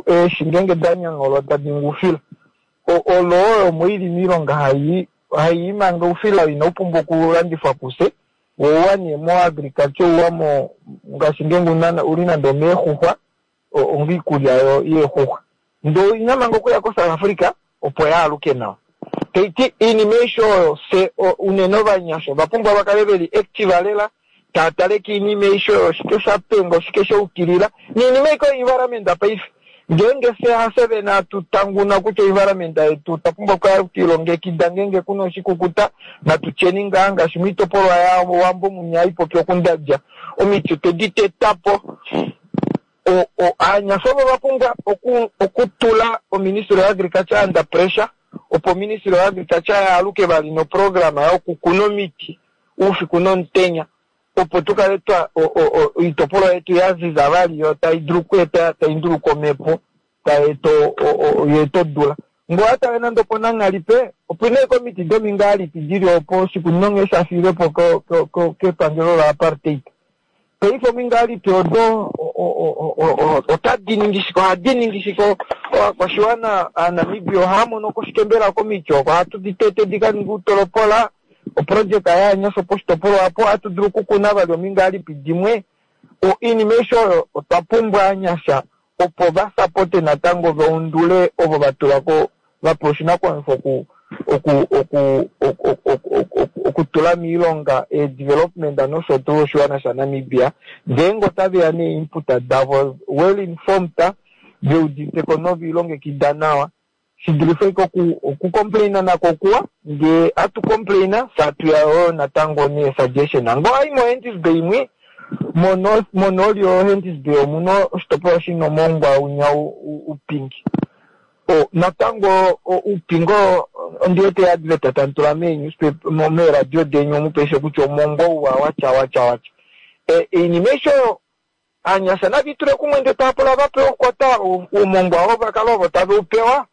eeshi ngeenge da nyangholwa tadi ningi oufila, oloo oyo omo ili miilonga hai hai manga oufila oo inau pumbwa okulandifwa kufye, wo ouwa nee mo agriculture ouwa mo ngaashi ngeenge una uli nande omeexuxwa onga iikulya yeexuxwa. Ndee oina manga okuya ko South Africa opo yaaluke nawa. Taiti iinima aishe oyo fye unene ovanyasha ova pumbwa va kale veli active lela tava tale kiinima aishe oyo oshike sha penga oshike sha ukilila niinima aike oyo environment paife ngeenge fye hafye vene hatu tanguna kutya environment yetu otwa pumbwa okukala twilongekida ngeenge kuna oshikukuta natu tyeni ngaa ngaashi moitopolwa yaWambo munya haipopi okundadja omiti otwe di teta po. Aanyasha ovo ova pumbwa okutula oministry yoagriculture under pressure opo oministry yoagriculture yaaluke vali noprograma yokukuna omiti oufiku nomutenya opo tu kale twa oitopolwa yetu ya ziza vali yo tai dulu okweeta tai nduluka omhepo tai eta ya eta odula. Ngee owa tale nande opoNanghalipe opuna ashike omiti domingalipi dili opo oshikunino nghee sha fiilwepo kepangelo la apartheid. Paife omingalipi odo otadi ningi shike? Ohadi ningi shike? Ovakwashiwana Aanamibia ohava mono ko shike mbela komiti oko? Ohatu di tete di ka ninge outolopola, oprojeka yaanyasha poshitopolwa opo ohatu dulu okukuna vali omingalipi dimwe. Oinima aishe oyo otwa pumbwa aanyasha opo va sapote natango va undule ovo va tula ko va pewa oshinakuwanifwa oku oku oku okutula miilonga eedevelopment nosho tuu oshiwana shaNamibia ngeenge otaveya nee-input davo well informed veuditeko noviilongekida nawa shidulife ike okucomplaina nako okuwa ngee atu complaina fye atuya yoo natango nee-suggestion ngee owayi moHenties Bay imwe monooli yoHenties Bay omuna oshitopolwa shina omongwa unya upingi natango uupingo ondiwete advert tamutula mee-newspaper meeradio deni omu paife kutya omongwa ouwa watya watya watya oinima aishe oyo aanyasha navitule kumwe ndee tava pula vapewe okukwata oumongwa oo vakala ovo tave upewa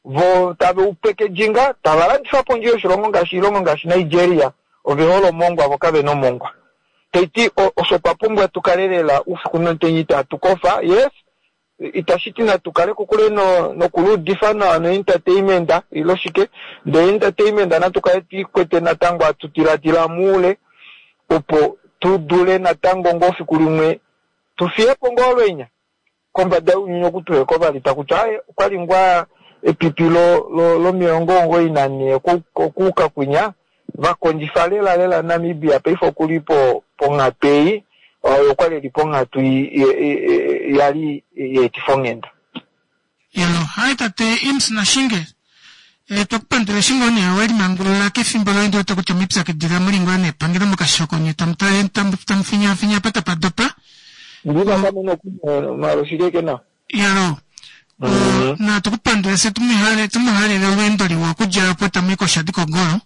vo tave upackaging tava landifa pondje yoshilongo ngaashi oilongo ngaashi Nigeria ove hole omongwa vo kavena omongwa. Taiti osho twa pumbwa tukale lela oufiku nomutenya itatu kofa yes itashi ti natu kale kokule nokuluudifa nawa no-entertainment ilo shike ndee entertainment natu kale twiikwete natango hatu diladila muule opo tu dule natango ngoo fiku limwe tufiyepo ngoo olwenya kombada younyuni oku tuheko vali takutya aye okwali ngoo epipi lo94 okuuka kwinya vakondjifa lela lela Namibia paife okuli ponghatu ei oyo okwali eli ponghatu yali yeetifa onghenda. Yelo, hai tate Imms Nashinge. Twakupandula eshi ngoo nee welimangulula kefimbo loye ndi wete kutya omwipyakidila muli ngoo nepangelo mokashoko nye tamu tale tamu finyafinya apa tapa dopa. Ndivakamono nawa. Yelo, natu kupandule fye tumuhalele olweendo liwa okudja opo tamuyi koshadi kogolo.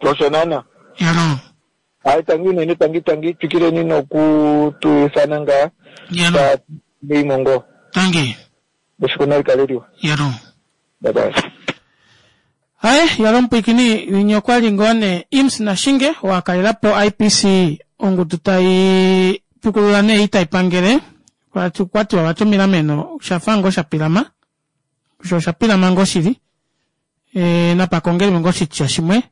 Osho naana. Yelo. Hayi tangi unene tangi tangi twikileni noku tu ifana ngaa. Yelo. Ngeimo ngoo. Tangi. Efiku nali kale liwa. Yalo. Bye bye. Aye, yalo mupwiikini winya okwa li ngoo nee Imms Nashinge oo a kalela po IPC ongudu tai pukulula nee ei tai pangele kwa tiwa vati omilameno osha fa ngoo sha pilama osho osha pilama ngoo shili e, napakongelwe ngoo oshitya shimwe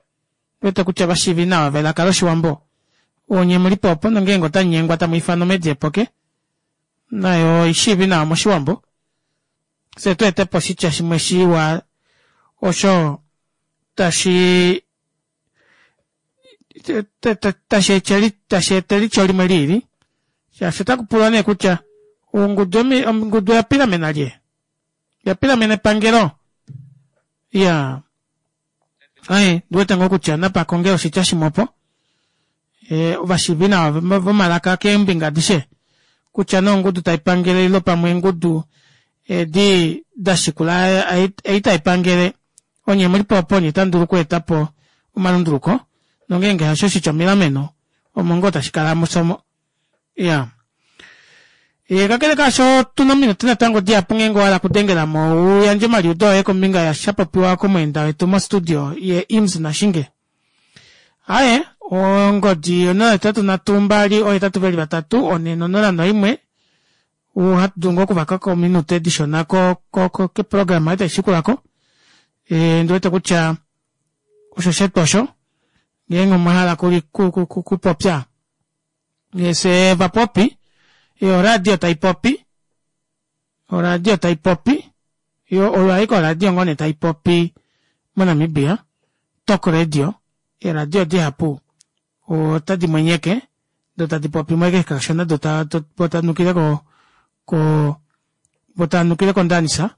wete kutya vashiivi nawa velaka loshiwambo onye muli po opo nongeenge otamu nyengwa tamu ifana omedi epoke nayo oishiivi nawa moshiwambo fye tu ete po oshitya shimwe shiwa osho tashi tashi eta elityo limwe liili shaashi otaku pulwa nee kutya ongudu ongudu oya pilamena lye ya pilamena epangelo ya aye ndiwete ngoo kutya napa konge oshitya shimwe opo e, ovashiivi nawa vomalaka keembinga adishe kutya nee ongudu tai pangele ilo pamwe eengudu edi da shikula ei tai pangele onye muli po opo onye tamu dulu okweeta po omalunduluko nongeenge hasho oshitya omilameno omo ngoo tashi kala musomo ya e, kakele kaasho tuna ominute natango dihapu ngeenge owa hala okudengela mo u yandje omaliudo oye kombinga ya sha popiwa komweenda wetu mostudio ye Imms Nashinge aye ongodi 083 2 8 4 0 1 ohatu dulu ngoo okuvaka ko ominute dishona keprograma ei tai shikula ko e, ndi wete kutya osho shetu osho ngeenge omwa hala kupopya fye vapopi yo oradio tai popi oradio tai popi yo oyo aike oradio ngoo nee tai popi moNamibia Talk Radio eeradio dihapu otadi mwenyeke do tadi popi mweke kashona do tanukile ko ko vo tanukile kondanisa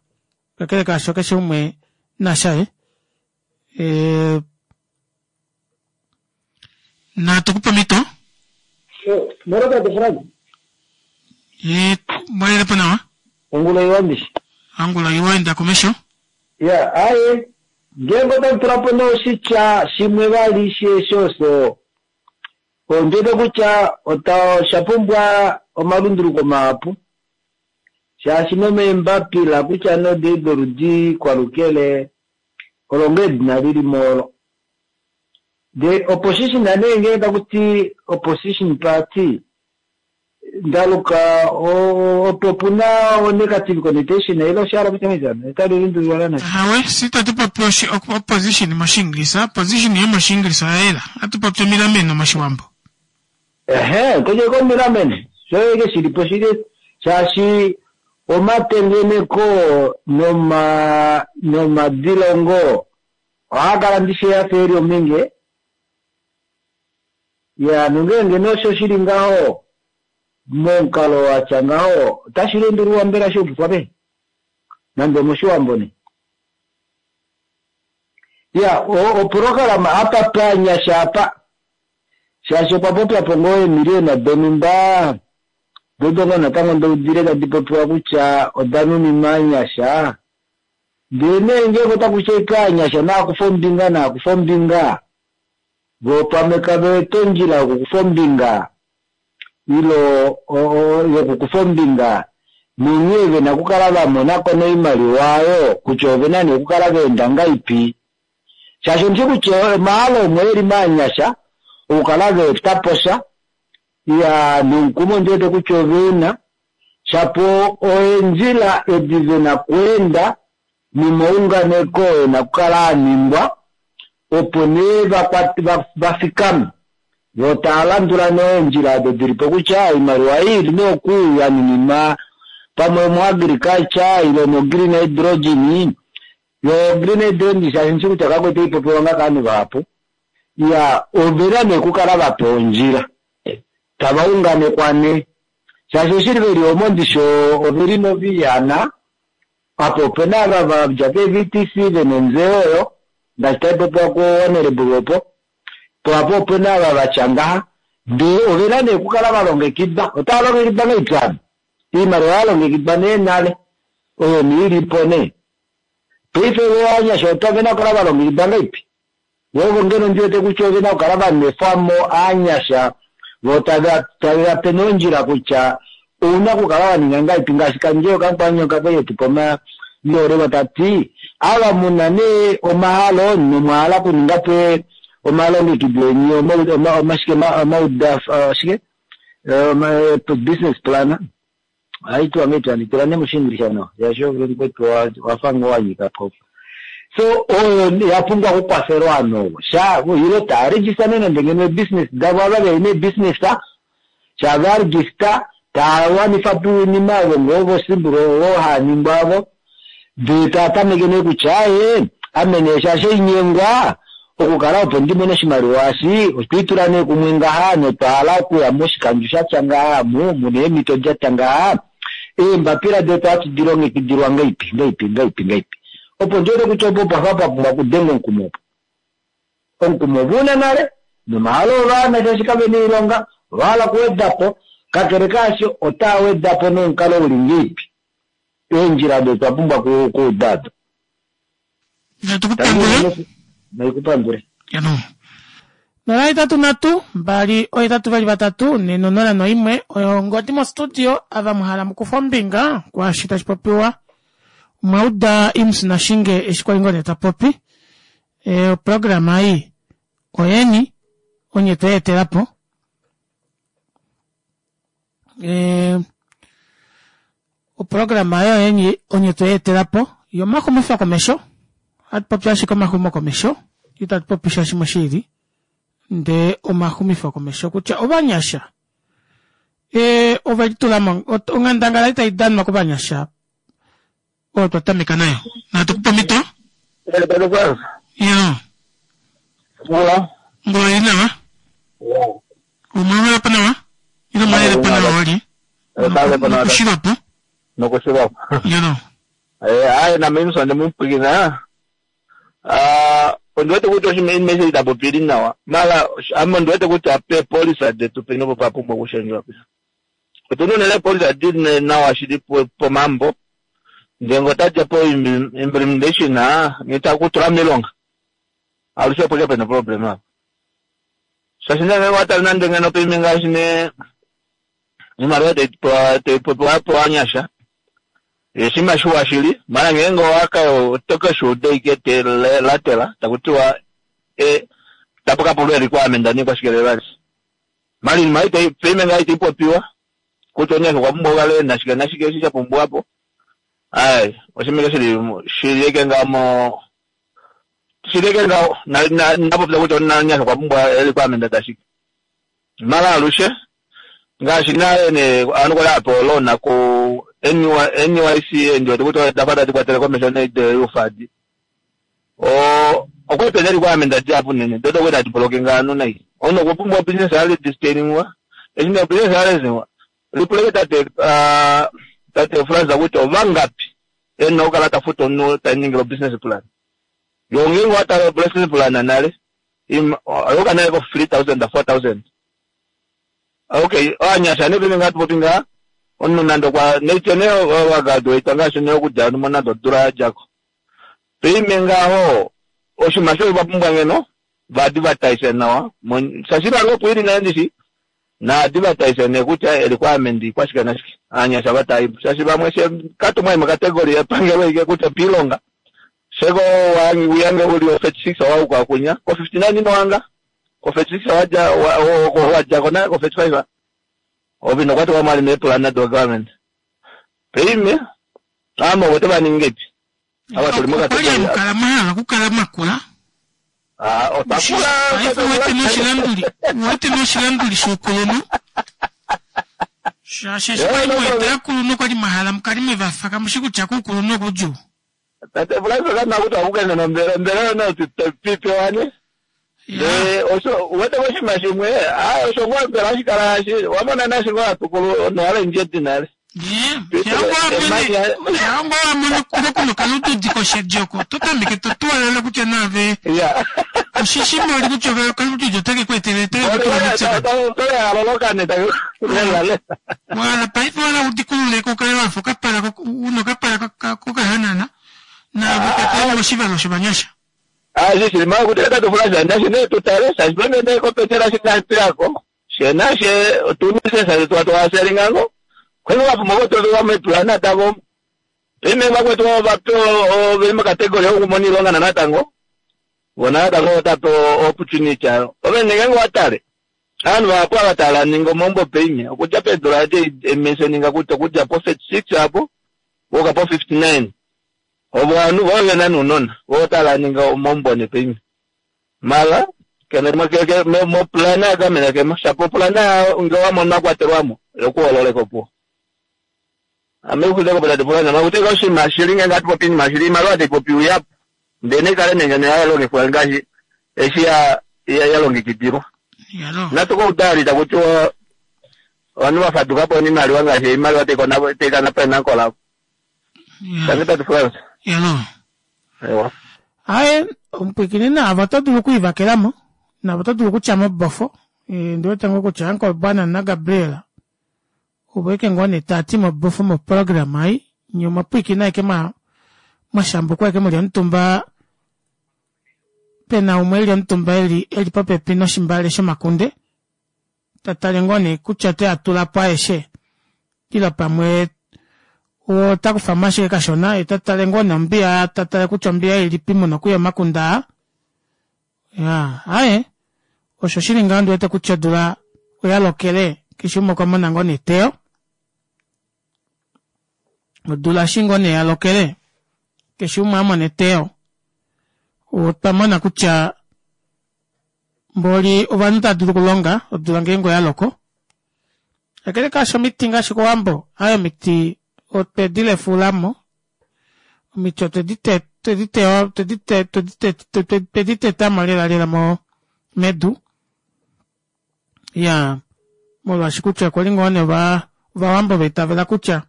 kakele kaasho keshe umwe nashaye e, natu kupe omhito Moro tate Frank. Ye mwalele po nawa. Ongula iwa ndishi. Angula iwa enda komesho. Ya, aye. Ngeenge otamu tula po nee oshitya shimwe vali shosho ondi wete kutya ota osha pumbwa omalunduluko mahapu shaashi nomeembapila kutya nodei doludi kwalukele olo ngoo edina lili mo olo. The opposition nee ngenge taku ti opposition party ndaluka opo pu na o negative connotation ile osha hala kutya ngahelipi otali lundululwa naana Awe, si tatu popi opposition mOshiingilisa, opposition yomOshiingilisa oya yela. Ohatu popi omilameno mOshiwambo. Ehe, kutya omilameno sho eke shili po shili shaashi omatengeneko noma nomadilongo ohaa kala ndishi ya fa eli ominge ya nongeenge nee osho shili ngaho momukalo watya ngaho otashi lundululwa mbela shiyukifwa peni nande omoshiwambo nee ya oprograma apa panyasha apa shaashi okwa popya po ngoo eemiliyona donhumba dodo ngoo natango ndoudile tadi popiwa kutya oda nuninwa aanyasha Ndele nee ngeenge otaku ti ashike aanyasha naa kufe ombinga, naa kufe ombinga, voo pamwe kave wete ondjila yokukufa ombinga, ile yokukufa ombinga, nonghee ve na okukala va mona ko noimaliwa oyo kutya ove na nee okukala va enda ngaipi. Shaashi ondi shi kutya omahalo omo e li maanyasha okukala va eta po sha, iya, nomukumo ondi wete kutya ove u na, Shapo oendjila edi ve na kweenda nomaunganeko oo e na okukala a ningwa, opo nee va fikame, vo tava landula nee eendjila odo di li po kutya oimaliwa ei ili nee oku ya nuninwa pamwe omoagriculture ile omogreen hydrogen. Yo ogreen hydrogen shaashi ndishi kutya kako itai popiwa nga kovanhu vahapu, iya ove na nee okukala va pewa ondjila, tava unganekwa nee. Shaashi oshili ve li omo ndishi ove li moviihana, apa ope na ava va dja keeVTC ve na ontseyo oyo, ngaashi tai popiwa ku Honourable opo, po apa ope na ava va tya ngaha, ndee ove na nee okukala va longekidwa. Otava longekidwa ngahelipi hano? Oimaliwa oya longekidwa nee nale, oyo nee ili po nee. Paife vo ovanyasha ove na okukala va longekidwa ngahelipi? Vo ovo ngeno ndi wete kutya ove na okukala va nwefwa mo aanyasha, vo tave va pe nee ondjila kutya Ouna okukala wa ninga ngahelipi ngaashi Kandjee Okamukwanyoka kwali etu pa omayoolelo ta ti, Ava mu na nee omahalo nomwa hala okuninga po omalongekido eni omashike omaudaf shike business plan ohai tiwa ngahelipi handi tula nee mOshiingilisha nawa shaashi ove mukwetu owa fa ngoo wa nyika po. So oyo ya pumbwa okukwafelwa ovanhu ovo sha ile taa register nee nande ngeno eebusiness davo ava veli meebusiness sha va register taa wanifa po oinima ovo ngoo vosimbulu ovo haa ningwa avo ndee taa tameke nee kutya aaye ame nee shaashi oinyengwa okukala opo ndi mone oshimaliwa eshi otwe itula nee kumwe ngaha notwa hala okuya moshikandjo sha tya ngaha mu muna eemhito da tya ngaha eembapila detu ohatu di longekidilwa ngaipi ngaipi ngaipi ngaipi opo ndi wete kutya opo opa fa pa pumbwa okudengwa omukumo opo. Omukumo ove u na nale, nomahalo ovaana shaashi kave na oilonga, ova hala okuweda po. Kakele kaasho, otaa weda po nomukalo u li ngeipi? Eendjila odo twa pumbwa okuuda odo. Natu ku pandule. Nai ku pandule. 0 8 3 2 8 2 3 4 0 1 oyo ongodi mostudio ava mwa hala mukufa ombinga kwaashi tashi popiwa. Omwa uda Imms Nashinge eshi kwali ngoo nee ta popi. E, oprograma ei oyeni onye tweyi etela po. E, oprograma oyo oyeni onye tweyi etela po yomaxumifo komesho. Ohatu popi ashike omaxumo komesho, itatu popi sha shimwe shi ili ndee omaxumifo komesho kutya ovanyasha e, ove litula mo onghandangala itai danwa kovanyasha oyo twa tameka nayo. Natu kupe omhito. Ya. Ngula ili nawa. Omwalala po nawa. Ile omwalele po nawa wali. Nokushilwa po. Nokushilwa po. Yano. Eh, aye na mimi sonde mupwikina. Ah, ondi wete kutya oshinima eshi ita popili nawa. Mala ame ondi wete kutya pe polisa detu peni opo pa pumbwa okushendjwa. Otuna unene eepolisa di li nawa shili pomambo, ndee ngee otadja po implementation ngee takutula moilonga alushe opo ashike pena oproblem apa. Shaashi nee ngenge owatale nande ngeno paime ngaashi nee oimaliwa tai popiwa po ovanyasha oshinima shiwa shili, maala ngeenge owaka oto keshuuda ashike telatela takutiwa tapu kapulwa ee requirement niikwashike vali. Mara iinima itayi paife ngaa itayi popiwa kutya omunyasha okwa pumbwa okukala ena shike nashike eshi sha pumbiwa po. Ai oshinima ike shili shili ike ngaho mo shili ike ngaho na na napopya kutya omunyasha okwa pumbwa requirement dashike. Mara alushe ngaashi nale nee ovanhu kwali hava pewa oloan ku NYC ndi wete kutya odafa tadi kwatele komesho nee doufadi. Okwali pena requirement dihapu unene do okwali tadi blocking ovanhu nai. Omunhu okwa pumbwa obusiness ya registeringwa, eshi nee obusiness ya registeringwa lipula tate tate Frans kutya ovangapi ena okukala ta futu omunhu ta ningile obusiness plan. Yo ngeenge owa tala obusiness plan nale oyuuka nale ko 3000 4000. Okay, ovanyasha nee paife ngaa hatu popi ngaha omunhu nande okwa naitye nee wa graduate ngaashi nee okudja nande odula ya djako. Paime ngaho oshinima osho va pumbwa ngeno va advertise nawa shaashi iimaliwa opo ili nale ndishi na advertise nee kutya e requirement ikwashike nashike aanyasha va taayipo shaashi vamwe she katumwa mocategory yepangelo ike kutya piilonga sheko wiyange uli o 36 owauka kunya ko 59 ino wanga ko 36 wadja wadjako nale ko 35 ove ino kwatelwa mwali meepulana do government paime ame ovo tova ningepi ava tuli Okwali hamu kala mwa hala okukala mwa kula. Ah, otwa kula. Paife uwete noshilanduli, uwete noshilanduli shoukulunhu. Shaashi eshi kwali mweta aakulunhu okwali mwa hala mukale mwe va fa, kamu shi kutya kuukulunhu okudjuu. Tate Francis okana kutya okukene nombele, ombele oyo nayo tupewa ne. Ndee osho uwete koshinima shimwe, ah osho ngoo mbela hashi kala hashi, wamona naashi ngoo hatu kulu nohale ndjedi nale. Shaa ngoo wa mono kuno okalududi koshedi oko, oto tameke to tuwalala kutya naave oshishi moli kutya ove okalududi otake ku etele otake ku tula moupyakadi. Wala paife wala udikulule ko ukale wafa okapala una okapala kokahanana naave okatale moshivalo shovanyasha. Ashi shili maa kuti tate Francis nashi nee tutale shaashi pamwe nee kopetela shi natuyako she nashe otunisesa twatwaselingango. Kwene vapumbwa okutovelwa meepulana davo. Paife vakwetu ova oveli mokategori yokumona oilonga natango. Vona natango otapa opportunity ayo. Ove ngeenge watale ovanhu vahapu ava tava ningi omaumbo paife okudja peedula edi ementioninga kutya okudja po 36 apo wuuka po 59 ovo ovanhu vo vena nounona vo otava ningi omaumbo ne paife mala kene mopulana yagamena kemo shapo opulana nge wamona wakwatelwamo yokuhololeka opuwo ame uxuleko po tate pulana makuteka oshinima shili ngeenge hatu popi iinima shili iimaliwa taipopiwa ihapu ndele naikale nee ngeno yalongifwa ngaashi eshi yalongekidilwa natukoudali takutiwa ovanhu vafadukapo noimaliwa ngaashi oimaliwa taikana po enanko lavo. Tangi tate Frans. Yalo. Ewa. Aye, omupwiikini naavo oto dulu okuivakelamo navo oto dulu okutya mobofo ndiwete ngoo kutya Uncle Bwana naGabriel ovo eke ngoo nee taati mobofo moprogram ei nye omwapwiikina eke mwashambukwa eke muli omutumba pena umwe eli omutumba eli popepi noshimbale shomakunde tatale ngoo nee kutya ote a tula po aeshe ile pamwe ota kufamo ashike kashona ye tatale ngoo nee ombiya tatale kutya ombiya ilipi muna okuya omakunde aa ya aye osho shili ngaho ndiwete kutya odula oya lokele keshe umwe okwa mona ngoo neteyo odula eshi ngoo nee yalokele keshe umwe amona eteyo otwa mona kutya mboli ovanhu tava dulu okulonga odula ngeenge oya loko kakele kaasho omiti ngaashi kowambo aye omiti otwedi lefulamo omiti otwedi tetamo lela lela mo medu ya molwaashi kutya okwa li ngoo nee ovawambo va itavela kutya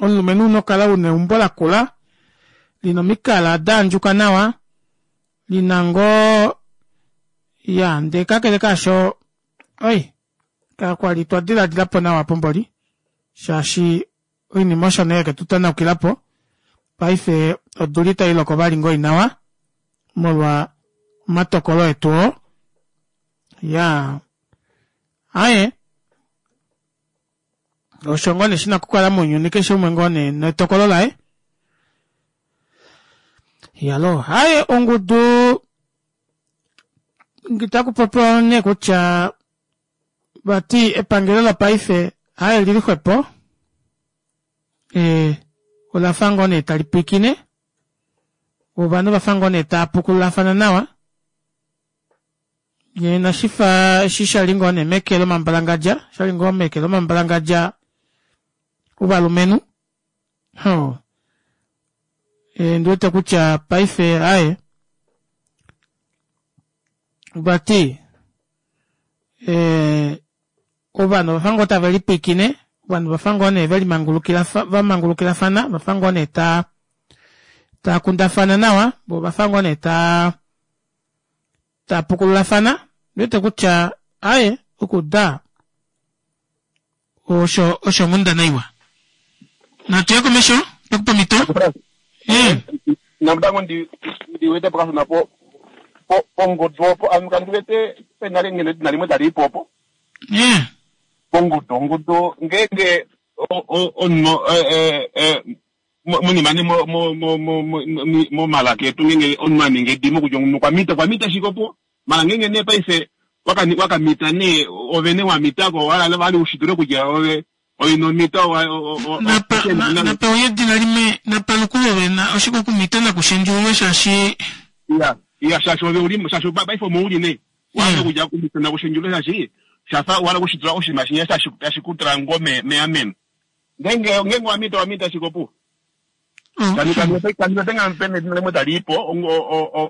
omulumenhu una okukala una eumbo lakula lina omikala daandjuka nawa lina ngoo ya ndee kakele kaasho oi kakwali twa diladilapo nawa pomboli shaashi oinima osho nee yeke tu tanaukilapo paife odula itai loko vali ngoo nawa molwa omatokolo etu oo ya aye osho ngoo nee shina okukala mounyuni keshe umwe ngoo nee netokolo laye yalo haye ongudu ngitakupopiwa nee kutya vati epangelo lopaife haye lili xwepo olafa ngoo nee tali pwiikine ovanhu vafa ngoo nee tava pukululafana nawa ye nashifa eshi shali ngoo nee meke lomambalangadja shali ngoo meke lomambalangadja ovalumenhu ho ndiwete kutya paife aye vati ovanhu ovafa ngoo tave lipwiikine ovanhu ovafa ngoo nee vamangulukilafana vafa ngoo nee taa kundafana nawa vo ovafa ngoo nee taa pukululafana ndiwete kutya aye okuda osho osho onghundana iwa natuye komesho pekupa omhito namutango ndiwete pokashona po pongudu opo ame kandiwete pena ngeno edina limwe tali ipo opo pongudu ongudu ngeenge omunhu monima ne momalaka etu ngeenge omunhu aninga edimo kutya omunhu okwamita okwamita shike opo mala ngeenge nee paife wakamita nee ove nee wamitako wali ushitule kutya ove oinomita napa uye edina limwe napa lukululwe na oshike okumita nakushendjululwe shaashi ya shaashi ove uli shaashi paife omo uli nee wahala kutya kumita nakushendjululwe shaashi shafa wahala okushitula oshinima shinya tashi kutula ngoo meameno ngeenge wamita wamita shike opuwo kaniwetenga pena edina limwe tali ipo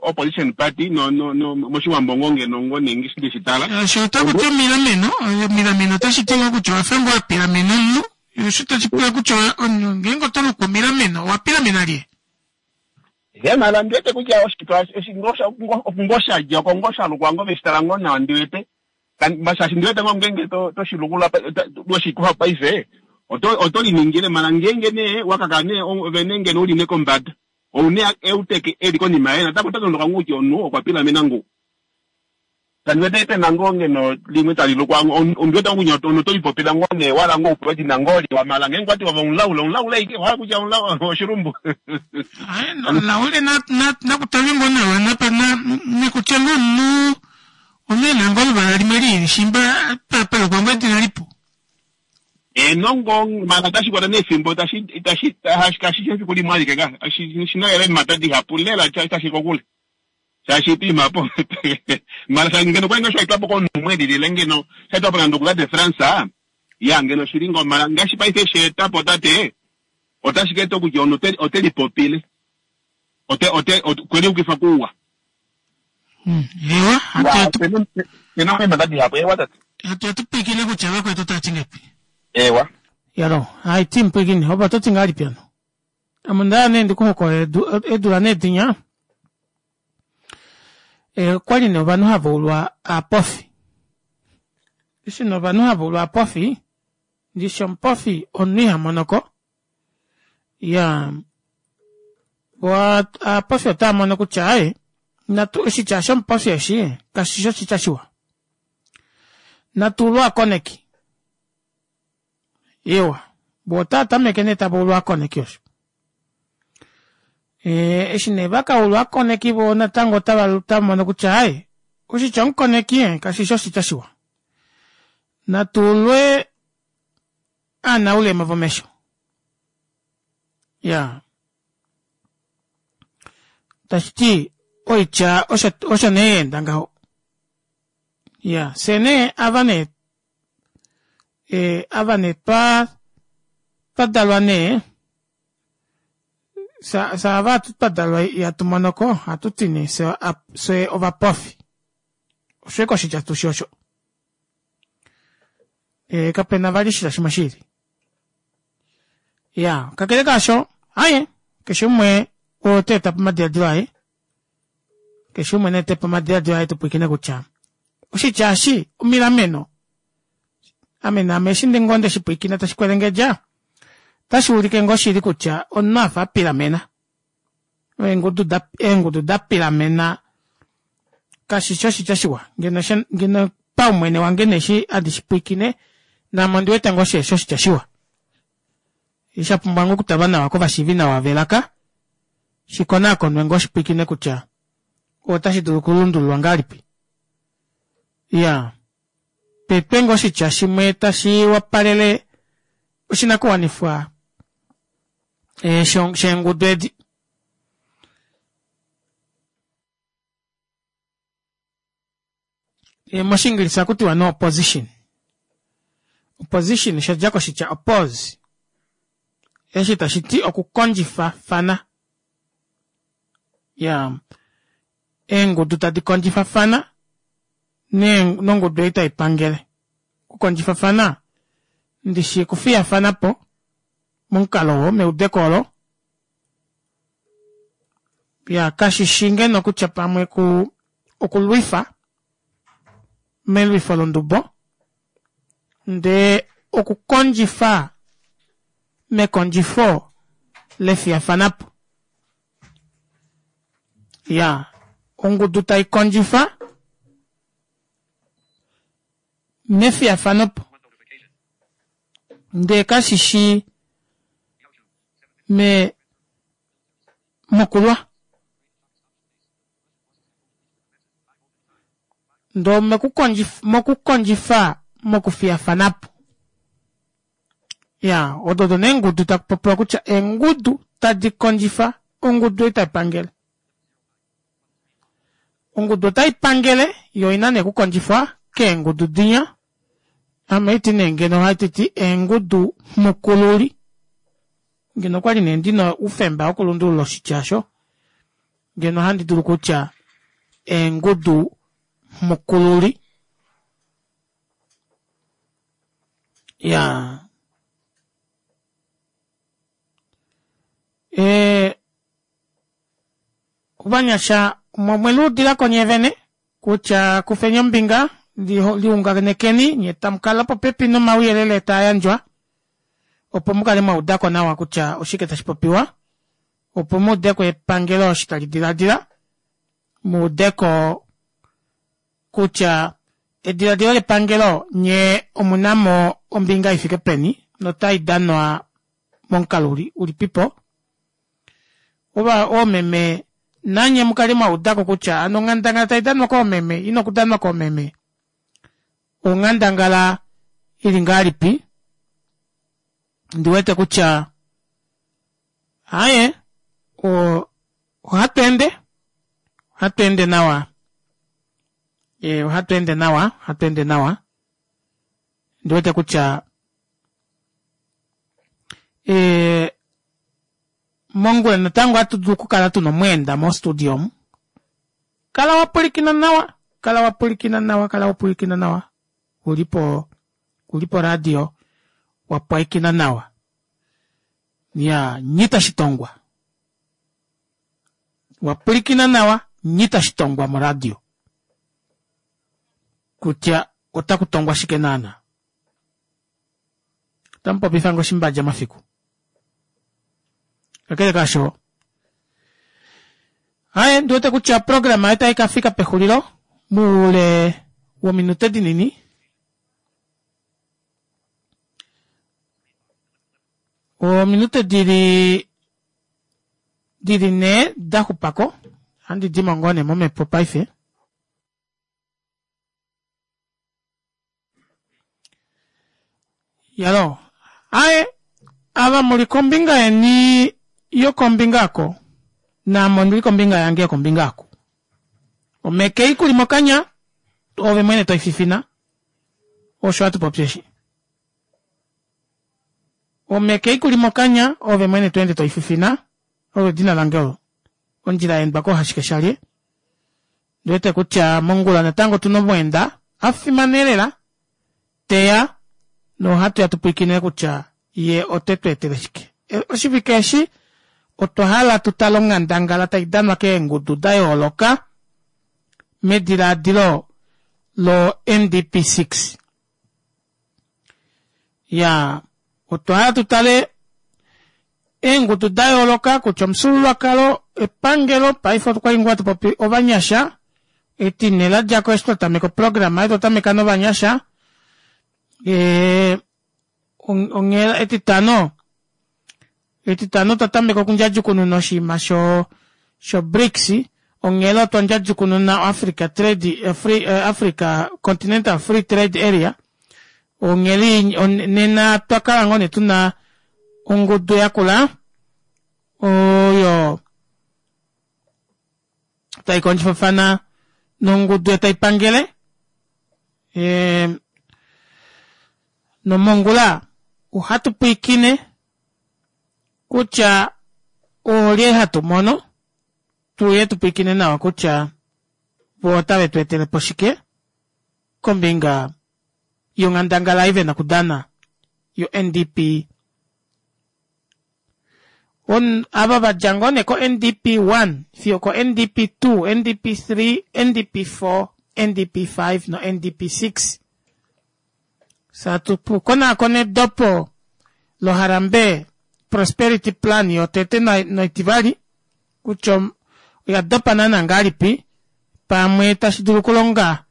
opposition party moshiwambo ngoo ngeno ngoo nee ndeshitala osho otakuti omilameno omilameno otashi ti ngoo kutya owafa ngoo wapilamena omunhu osho tashi pula kutya omunhu ngeenge oto lukwa omilameno owapilamena lye hemala ndiwete kutya oshitwa ngoo shadja oko ngoo shalukwa ngoo veshitala ngoo nawa ndiwete shaashi ndiwete ngoo ngeenge toshilukula weshikufa paife oto liningile mala ngeenge nee wakaka nee ove nee ngeno uli nee kombada ou nee euteke eli konima yaye natango ota tondoka ngoo kutya omunhu okwa pilamena ngoo. Kandi wete pena ngoo ngeno limwe tali lukwa ondi wete ngoo kutya omunhu oto lipopile ngoo nee wala ngoo upewa edina ngoo liwa mala ngeenge okwa ti ove omulaule omulaule aike owa hala kutya omulaule oshilumbu. Omulaule nakutalwe ngoo nawa napa nakutya ngoo omunhu omunhu ena ngoo oluvala limwe liili shimba palukwa ngoo edina lipu. Eeno ngoo mala otashi kwata nee efimbo itashi itashi kashi shi efiku limwe alike ka oshina lela eemhata dihapu lela tashi kokule. Shaashi piima apo mala sha ngeno kwali ngoo sha etwapo komunhu umwe elilile ngeno sha etwapo nande oku tate Frans ya ngeno oshili ngoo mala ngaashi paife she etapo tate otashi ka eta kutya omunhu ote ote lipopile ote ote okwe liukifa kuuwa. Ewa, Ya, pena pena eemhata dihapu ewa tate. Hatu atu pwiikine kutya vakwetu otava ti ngahelipi. Ewa. Yalo, hai ti mpwiikine, opo oto ti ngahelipi hano? Ame onda hala nee ndi ku hokolole eedula nee dinya okwali nee ovanhu hava ulwa aapofi. Eshi nee ovanhu hava ulwa aapofi, ndishi omupofi omunhu iha monoko. Iyaa, vo aapofi otava mono kutya aaye natu oshitya shomupofi eshi kashi shi oshitya shiwa. Natu ulwe aakoneki. Ewa, vo otava tameke nee tava ulwa aakoneki osho. E, eshi nee va ka ulwa aakoneki vo natango otava otava mono kutya aye oshitya omukoneki eh, kashi shi oshitya shiwa. Natu ulwe aanaulema vomesho. Ya. Tashi ti oitya osho osho nee ya enda ngaho. Ya, fye nee ava nee e, ava nee twa twa dalwa nee sa sa ava hatu twa dalwa ihatu monoko ohatu ti nee fye fye ovapofi osho eke oshitya tushi osho e, kape na vali oshitya shimwe shili ya kakele kaasho aye keshe umwe ote eta po omadiladilo aye Keshe umwe na ete po omadiladilo aye tu pwilikine kutya oshitya eshi omilameno ame naame eshi ndi ngoo nde shi pwilikina tashi kwelengedja otashi ulike ngoo shili kutya omunhu a fa a pilamena eengudu da eengudu da pilamena kashi shi oshitya shiwa ngeno ngeno paumwene wange nee eshi handi shi pwilikine naame ondi wete ngoo shiheshi oshitya shiwa Sha pumbwa ngoo okutalwa nawa kovashiivi nawa velaka, shi konaakonwe ngoo shi pwilikine kutya otashi dulu okulundululwa ngahelipi. Iyaa, petwe ngoo oshitya shimwe tashi wapalele oshinakuwanifwa eh, sheengudu edi. E, mOshiingilisa ohaku tiwa no opposition. Opposition osha dja koshitya oppose, eshi tashi ti okukondjifafana. Ya, eengudu tadi kondjifafana nongudu ei tai pangele. Okukondjifafana ndishi okufiyafana po momukalo oo, meudeko olo. Ya, kashi shi ngeno kutya pamwe ku okulwifa melwifo londubo ndee okukondjifa mekondjifo lefiyafanapo. Ya, ongudu tai kondjifa mefiyafanopo ndee kashi shi me mokulwa. Ndoo mokukondjifa mokufiyafanapo. Ya, odo odo nee eengudu taku popiwa kutya eengudu tadi kondjifa ongudu ei tai pangele. Ongudu otai pangele yo oina nee okukondjifwa keengudu dinya. Ame oiti nee ngeno ohati ti eengudu mukululi. Ngeno okwali nee ndina oufemba wokulundulula oshitya osho, ngeno ohandi dulu kutya eengudu mukululi. Ya. E, ovanyasha omwe luudilako nye vene kutya kufeni ombinga liunganekeni nye tamu kala popepi nomauyelele taa yandjwa opo mu kale mwa uda ko nawa kutya oshike tashi popiwa opo mu ude ko epangelo eshi tali diladila mu ude ko kutya ediladilo lepangelo nye omuna mo ombinga ifike peni notai danwa momukalo ulipipo. Ova oomeme nanye mukale mwa udako kutya ano onghandangala tai danwa koomeme ina okudanwa koomeme onghandangala ili ngahelipi ndiwete kutya aye ohatu ende ohatu ende nawa e, ohatu ende nawa ohatu ende nawa ndiwete kutya e, mongula natango ohatu dulu okukala tuna omweenda mostudio omu kala wa pwilikina nawa kala wa pwilikina nawa kala wa pwilikina nawa uli po uli po radio wa pwaikina nawa ya nyita shitongwa wa pwilikina nawa nyita shitongwa moradio kutya otaku tongwa shike naana otamu popifa ngo shimbadja mafiku kakele kaasho aye ndiwete kutya oprograma otayi ka fika pexulilo muule wominute dinini ominute dili dili ne da xupako handi dimo ngoo ne momhepo paife Yalo, aye ava muli kombinga yeni yokombinga ako naame ondili kombinga yange yokombinga ako. Omeke ikuli mokanya ove mwene toififina osho hatu popi eshi. Omeke ikuli mokanya ove mwene to ende toififina olo edina lange olo. Ondjila ya endwa koohashike shalye. Ndi wete kutya mongula natango otu na omweenda a fimana elela teya nohatu ya tu pwilikine kutya ye ote tu etele shike. E, oshivike eshi otwa hala tu tale onghandangala tai danwa keengudu da yooloka medilaadilo lo-NDP6. Ya, otwa hala tu tale eengudu da yooloka kutya omufyuululwakalo, epangelo, paife okwa li ngoo hatu popi ovanyasha, etine la dja ko eshi twa tameka oprograma oyo twa tameka novanyasha, e, onghela etitano etitano twa tameka okundjadjukununa oshinima sho sho BRICS onghela otwa ndjadjukununa Africa Trade eh, Free, eh, Africa Continental Free Trade Area onghela on, nena twa kala ngoo nee tuna ongudu yakula oyo tai kondjifafana nongudu tai pangele e, nomongula ohatu pwiikine kutya oolye hatu mono tuye tu pwiikine nawa kutya vo otave tu etele po shike kombinga yonghandangala ei ve na okudana yo-NDP On, ava va dja ngoo nee ko-NDP 1 fiyo ko-NDP 2, NDP 3, NDP 4, NDP 5 no-NDP 6. Satu konaakona edopo loHarambee Prosperity Plan yotete noitivali kutya oya dopa naana ngahelipi pamwe tashi dulu okulonga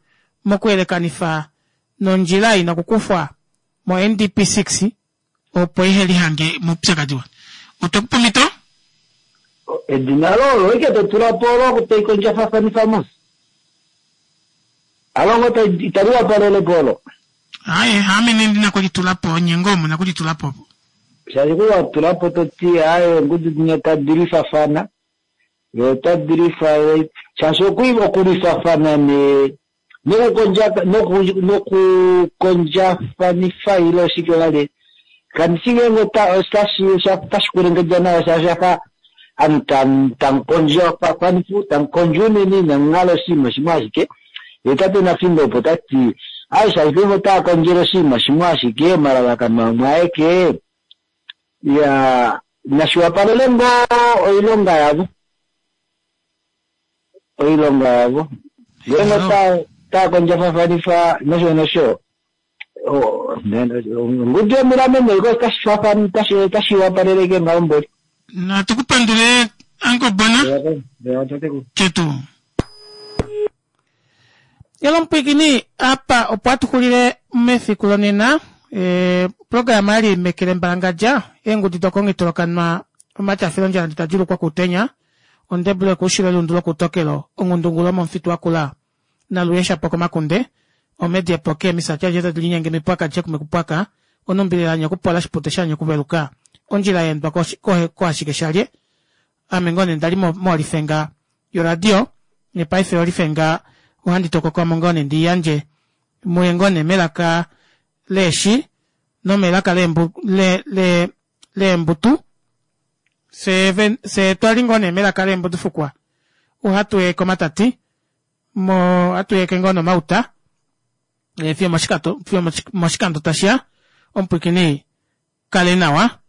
mokuyelekanifa nondjila ina okukufwa mo-NDP 6 opo ihe lihange moupyakadi wa. Otwe ku pa omhito? Edina loye olo ike to tula po olo tai kondjafafanifa mos. Alo ngoo itali wapalele po olo. Aye, haame nee ndi na kulitula po, nye ngoo mu na kulitula po. Shaashi ku wa tula po to ti aye eengudu dinya tadi lwifafana, ye otadi lwifa shaashi okulwifafana nee nokukondjafanifa ile oshike vali kandi shi ngeenge otashi otashi kwelengedja nawa shaashi osha fa ovanhu tamu kondjafanifa tamu kondjo unene inamu hala oshinima shimwe ashike ye tate Nafingo opo ta ti aye shaashi paife otava kondjele oshinima shimwe ashike omalalakano amwe aeke ya nashi wapalele ngoo oilonga yavo oilonga yavo ngeenge otava kondjafafanifa nosho nosho ongudu yomilameno iko otashi wapaleleke ngaho mboli. Natu ku pandule Uncle Bona. Chetu. Yalo apa opo atuxulile mefiku lonena programa yali mekele mbalangadja eengudi dokongitolokanwa omatafilo ndjala nditadjulukwa kutenya ondebule kuushilo elundu lokutokelo ongundungulo momufitu wakula naluye shapo komakunde omedi epoke emisati adje tadi linyenge mipwaka dje kumekupwaka onumbililanye okupola shipute shanye okuveluka ondjila yeendwa koashike shalye ame ngoo nee ndali molifenga yoradio nepaife olifenga ohandi tokokamo ngoo nee ndiyandje muye ngoo nee melaka leeshi nomelaka leembutu se twali ngoo nee melaka leembutu fukwa ohatu ye komatati mo ohatu yeke ngoo nomauta fiyo moshikando tashiya omupwikini kale nawa.